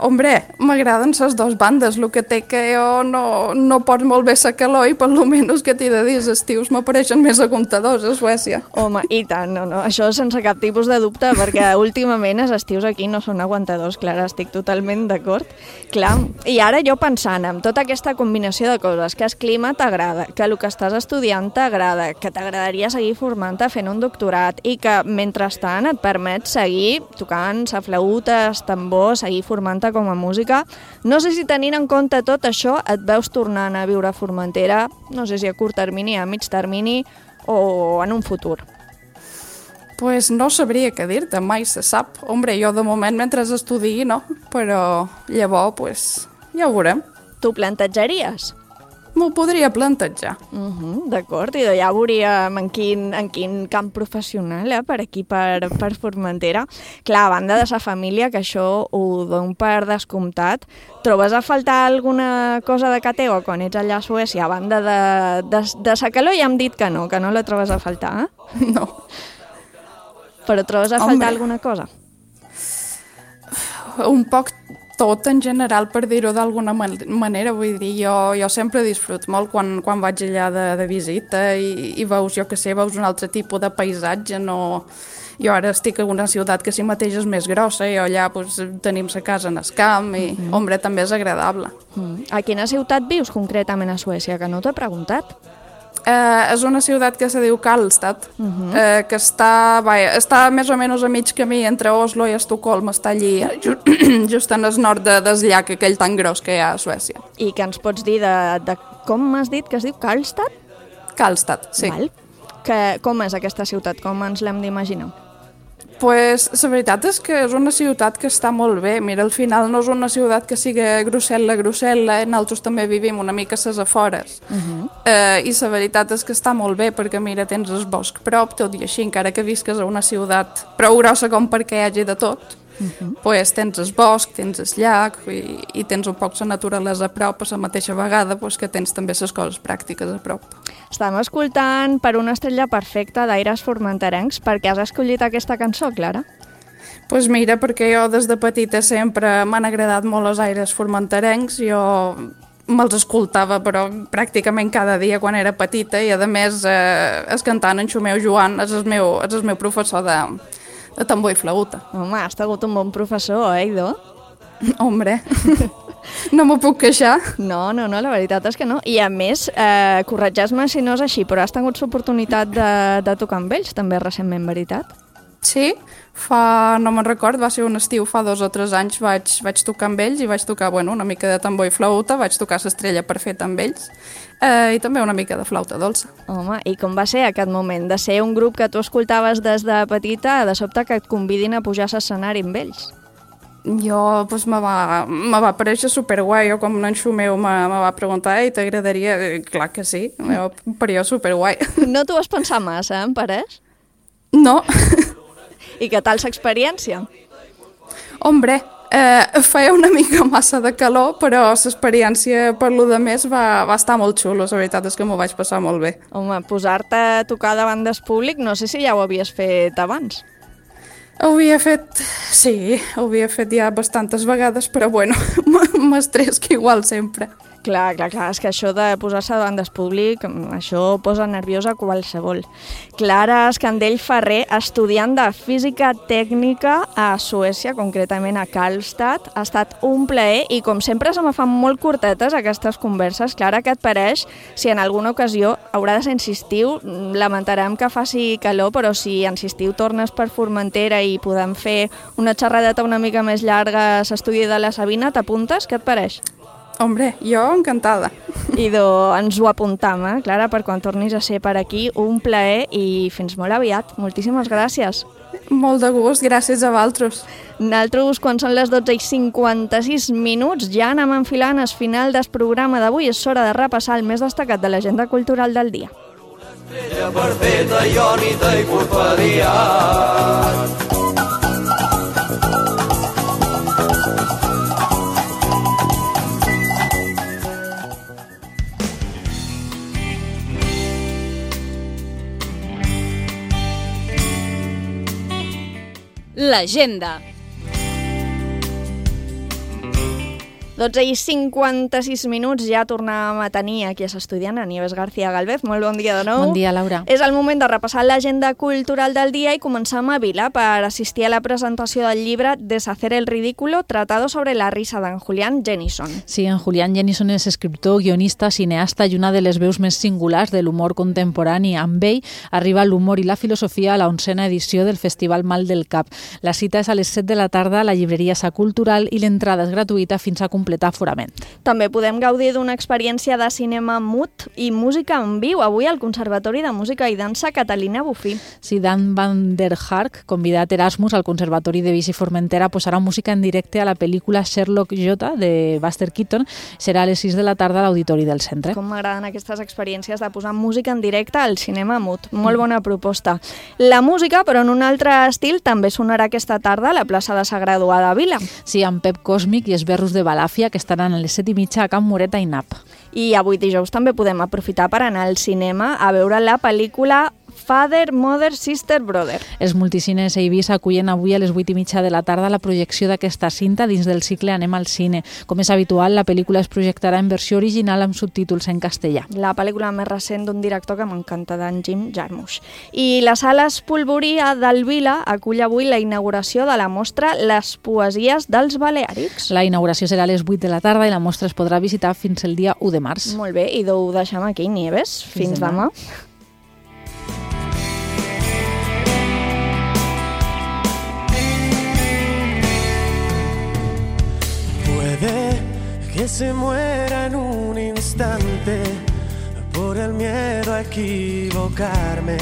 Speaker 15: Hombre, m'agraden les dues bandes, el que té que jo no pots molt bé la calor i per lo menys que t'he de dir, els estius m'apareixen més aguantadors a Suècia.
Speaker 5: Home, i tant, no, això sense cap tipus de dubte, perquè últimament els estius aquí no són aguantadors, Clara, estic totalment d'acord. Clar, i ara jo pensant en tota aquesta combinació de coses, que el clima t'agrada, que el que estàs estudiant t'agrada, que t'agradaria seguir formant-te fent un doctorat i que mentrestant et permet seguir tocant la flauta, el tambor, seguir formant-te com a música. No sé si tenint en compte tot això et veus tornant a viure a Formentera, no sé si a curt termini, a mig termini o en un futur.
Speaker 15: Pues no sabria què dir-te, mai se sap. Hombre, jo de moment mentre estudiï no, però llavors pues, ja ho veurem.
Speaker 5: Tu plantejaries?
Speaker 15: M'ho podria plantejar.
Speaker 5: D'acord, i ja veuríem en quin camp professional, per aquí, per Formentera. Clar, a banda de la família, que això ho dono per descomptat, trobes a faltar alguna cosa de ca teva quan ets allà a Suècia? A banda de sa calor ja hem dit que no la trobes a faltar,
Speaker 15: No.
Speaker 5: Però trobes a faltar alguna cosa?
Speaker 15: Un poc tot en general, per dir-ho d'alguna manera. Vull dir, jo sempre disfruto molt quan vaig allà de visita i veus, jo què sé, veus un altre tipus de paisatge. No... Jo ara estic en una ciutat que si mateix és més grossa i allà tenim la casa en el camp i, hombre, també és agradable.
Speaker 5: A quina ciutat vius concretament a Suècia, que no t'he preguntat?
Speaker 15: És una ciutat que se diu Karlstad, que està més o menys a mig camí entre Oslo i Estocolm, està allí just en el nord del llac aquell tan gros que hi ha a Suècia.
Speaker 5: I què ens pots dir de com m'has dit que es diu Karlstad?
Speaker 15: Karlstad, sí.
Speaker 5: Val. Com és aquesta ciutat? Com ens l'hem d'imaginar?
Speaker 15: Pues la veritat és que és una ciutat que està molt bé. Mira, al final no és una ciutat que sigui Grusel·la, nosaltres també vivim una mica a les afores. I la veritat és que està molt bé, perquè mira, tens el bosc prop, tot i així, encara que visques a una ciutat prou grossa com perquè hi hagi de tot, pues tens el bosc, tens el llac i tens un poc la naturalesa a prop, a la mateixa vegada que tens també les coses pràctiques a prop.
Speaker 5: Estàvem escoltant Per una estrella perfecta d'Aires Formenterencs. Per què has escollit aquesta cançó, Clara?
Speaker 15: Pues mira, perquè jo des de petita sempre m'han agradat molt els Aires Formenterencs. Jo me'ls escoltava, però pràcticament cada dia quan era petita, i a més el cantant en Xumeu Joan és el meu professor de tambor i flauta.
Speaker 5: Home, has tingut un bon professor, Ido?
Speaker 15: Hombre, no m'ho puc queixar.
Speaker 5: No, la veritat és que no. I a més, corregeix-me si no és així, però has tingut l'oportunitat de tocar amb ells també recentment, veritat?
Speaker 15: Sí, no me'n record, va ser un estiu, fa 2 o 3 anys vaig tocar amb ells i vaig tocar una mica de tambor i flauta, vaig tocar l'Estrella Perfecta amb ells i també una mica de flauta dolça.
Speaker 5: Home, i com va ser aquest moment de ser un grup que tu escoltaves des de petita, de sobte que et convidin a pujar a l'escenari amb ells?
Speaker 15: Jo, me va parèixer superguai. Jo, com en Xumeu me va preguntar i t'agradaria? Clar que sí, em paria superguai.
Speaker 5: No t'ho vas pensar massa, em pareix?
Speaker 15: No.
Speaker 5: I què tal l'experiència?
Speaker 15: Hombre, feia una mica massa de calor, però l'experiència per lo de més va estar molt xulo. La veritat és que m'ho vaig passar molt bé.
Speaker 5: Home, posar-te a tocar davant del públic, no sé si ja ho havies fet abans.
Speaker 15: Ho havia fet ja bastantes vegades, però m'estrès que igual sempre.
Speaker 5: Clar, és que això de posar-se davant del públic, això posa nerviosa qualsevol. Clara Escandell Ferrer, estudiant de Física Tècnica a Suècia, concretament a Karlstad. Ha estat un plaer i, com sempre, se me fan molt curtetes aquestes converses. Clara, què et pareix? Si en alguna ocasió haurà de ser en estiu, lamentarem que faci calor, però si en estiu tornes per Formentera i podem fer una xerradeta una mica més llarga a l'estudi de la Sabina, t'apuntes? Què et pareix?
Speaker 15: Hombre, jo encantada.
Speaker 5: Idò, ens ho apuntam, Clara, per quan tornis a ser per aquí. Un plaer i fins molt aviat. Moltíssimes gràcies.
Speaker 15: Molt de gust, gràcies a vosaltres.
Speaker 5: Nosaltres, quan són les 12:56, ja anem enfilant el final del programa d'avui. És hora de repassar el més destacat de l'agenda cultural del dia.
Speaker 14: Estrella perfecta, iònita i porfadiat.
Speaker 4: L'agenda.
Speaker 5: 12:56, ja tornàvem a tenir aquí a l'estudiant, a Nieves García Galvez. Molt bon dia de nou.
Speaker 6: Bon dia, Laura.
Speaker 5: És el moment de repassar l'agenda cultural del dia i començar a Vila per assistir a la presentació del llibre Deshacer el ridículo, tratado sobre la risa d'en Julián Jennison.
Speaker 6: Sí, en Julián Jennison és escriptor, guionista, cineasta i una de les veus més singulars de l'humor contemporani. Amb ell arriba l'humor i la filosofia a la 11a edició del Festival Mal del Cap. La cita és a les 7 de la tarda a la llibreria Sa Cultural i l'entrada és gratuïta fins a completar forament.
Speaker 5: També podem gaudir d'una experiència de cinema mut i música en viu avui al Conservatori de Música i Dansa Catalina Bufí.
Speaker 6: Sí, Dan van der Hark, convidat Erasmus al Conservatori de Vici Formentera, posarà música en directe a la pel·lícula Sherlock J de Buster Keaton. Serà a les 6 de la tarda a l'Auditori del Centre.
Speaker 5: Com m'agraden aquestes experiències de posar música en directe al cinema mut. Molt bona proposta. La música, però en un altre estil, també sonarà aquesta tarda a la plaça de Sa Graduada a Vila.
Speaker 6: Sí, amb Pep Còsmic i els Berros de Balàfia, que estaran a les 7:30 a Can Moreta i Nap.
Speaker 5: I avui dijous també podem aprofitar per anar al cinema a veure la pel·lícula Father, Mother, Sister, Brother.
Speaker 6: Els multicines a Eivissa acullen avui a les 8:30 de la tarda la projecció d'aquesta cinta dins del cicle Anem al cine. Com és habitual, la pel·lícula es projectarà en versió original amb subtítols en castellà.
Speaker 5: La pel·lícula més recent d'un director que m'encanta, d'en Jim Jarmusch. I la Sala Espolvorí del Vila acull avui la inauguració de la mostra Les poesies dels Baleàrics.
Speaker 6: La inauguració serà a les 8 de la tarda i la mostra es podrà visitar fins el dia 1 de març.
Speaker 5: Molt bé, i ho deixem aquí, Nieves. Fins demà.
Speaker 16: Puede que se muera en un instante por el miedo a equivocarme.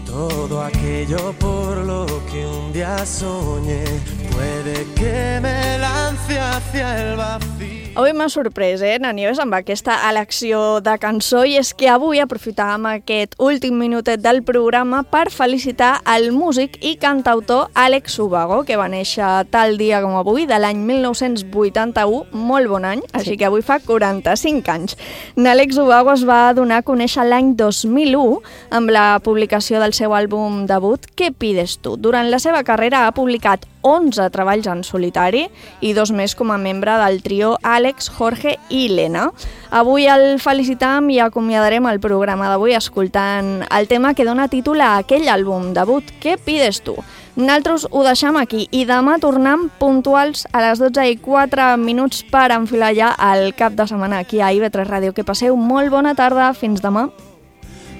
Speaker 16: Todo aquello por lo que un día soñé, puede que me lance hacia el vacío.
Speaker 5: Avui m'ha sorprès, Nieves, amb aquesta elecció de cançó, i és que avui aprofitàvem aquest últim minutet del programa per felicitar el músic i cantautor Àlex Ubago, que va néixer tal dia com avui, de l'any 1981, molt bon any, així que avui fa 45 anys. Àlex Ubago es va donar a conèixer l'any 2001 amb la publicació del seu àlbum debut, Què pides tu? Durant la seva carrera ha publicat 11 treballs en solitari i 2 més com a membre del trio Àlex, Jorge i Lena. Avui el felicitam i acomiadarem el programa d'avui escoltant el tema que dona títol a aquell àlbum debut, Què pides tu? Nosaltres ho deixem aquí i demà tornem puntuals a les 12:04 per enfilar ja el cap de setmana aquí a IB3 Ràdio. Que passeu molt bona tarda, fins demà.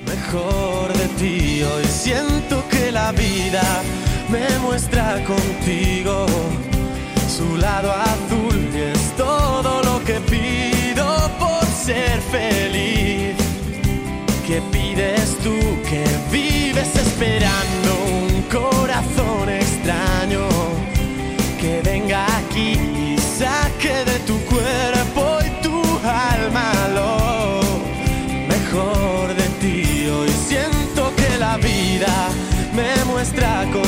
Speaker 16: Mejor de ti, hoy siento que la vida me muestra contigo su lado azul y es todo lo que pido por ser feliz. ¿Qué pides tú que vives esperando un corazón extraño que venga aquí y saque de tu cuerpo y tu alma lo mejor de ti? Hoy siento que la vida me muestra contigo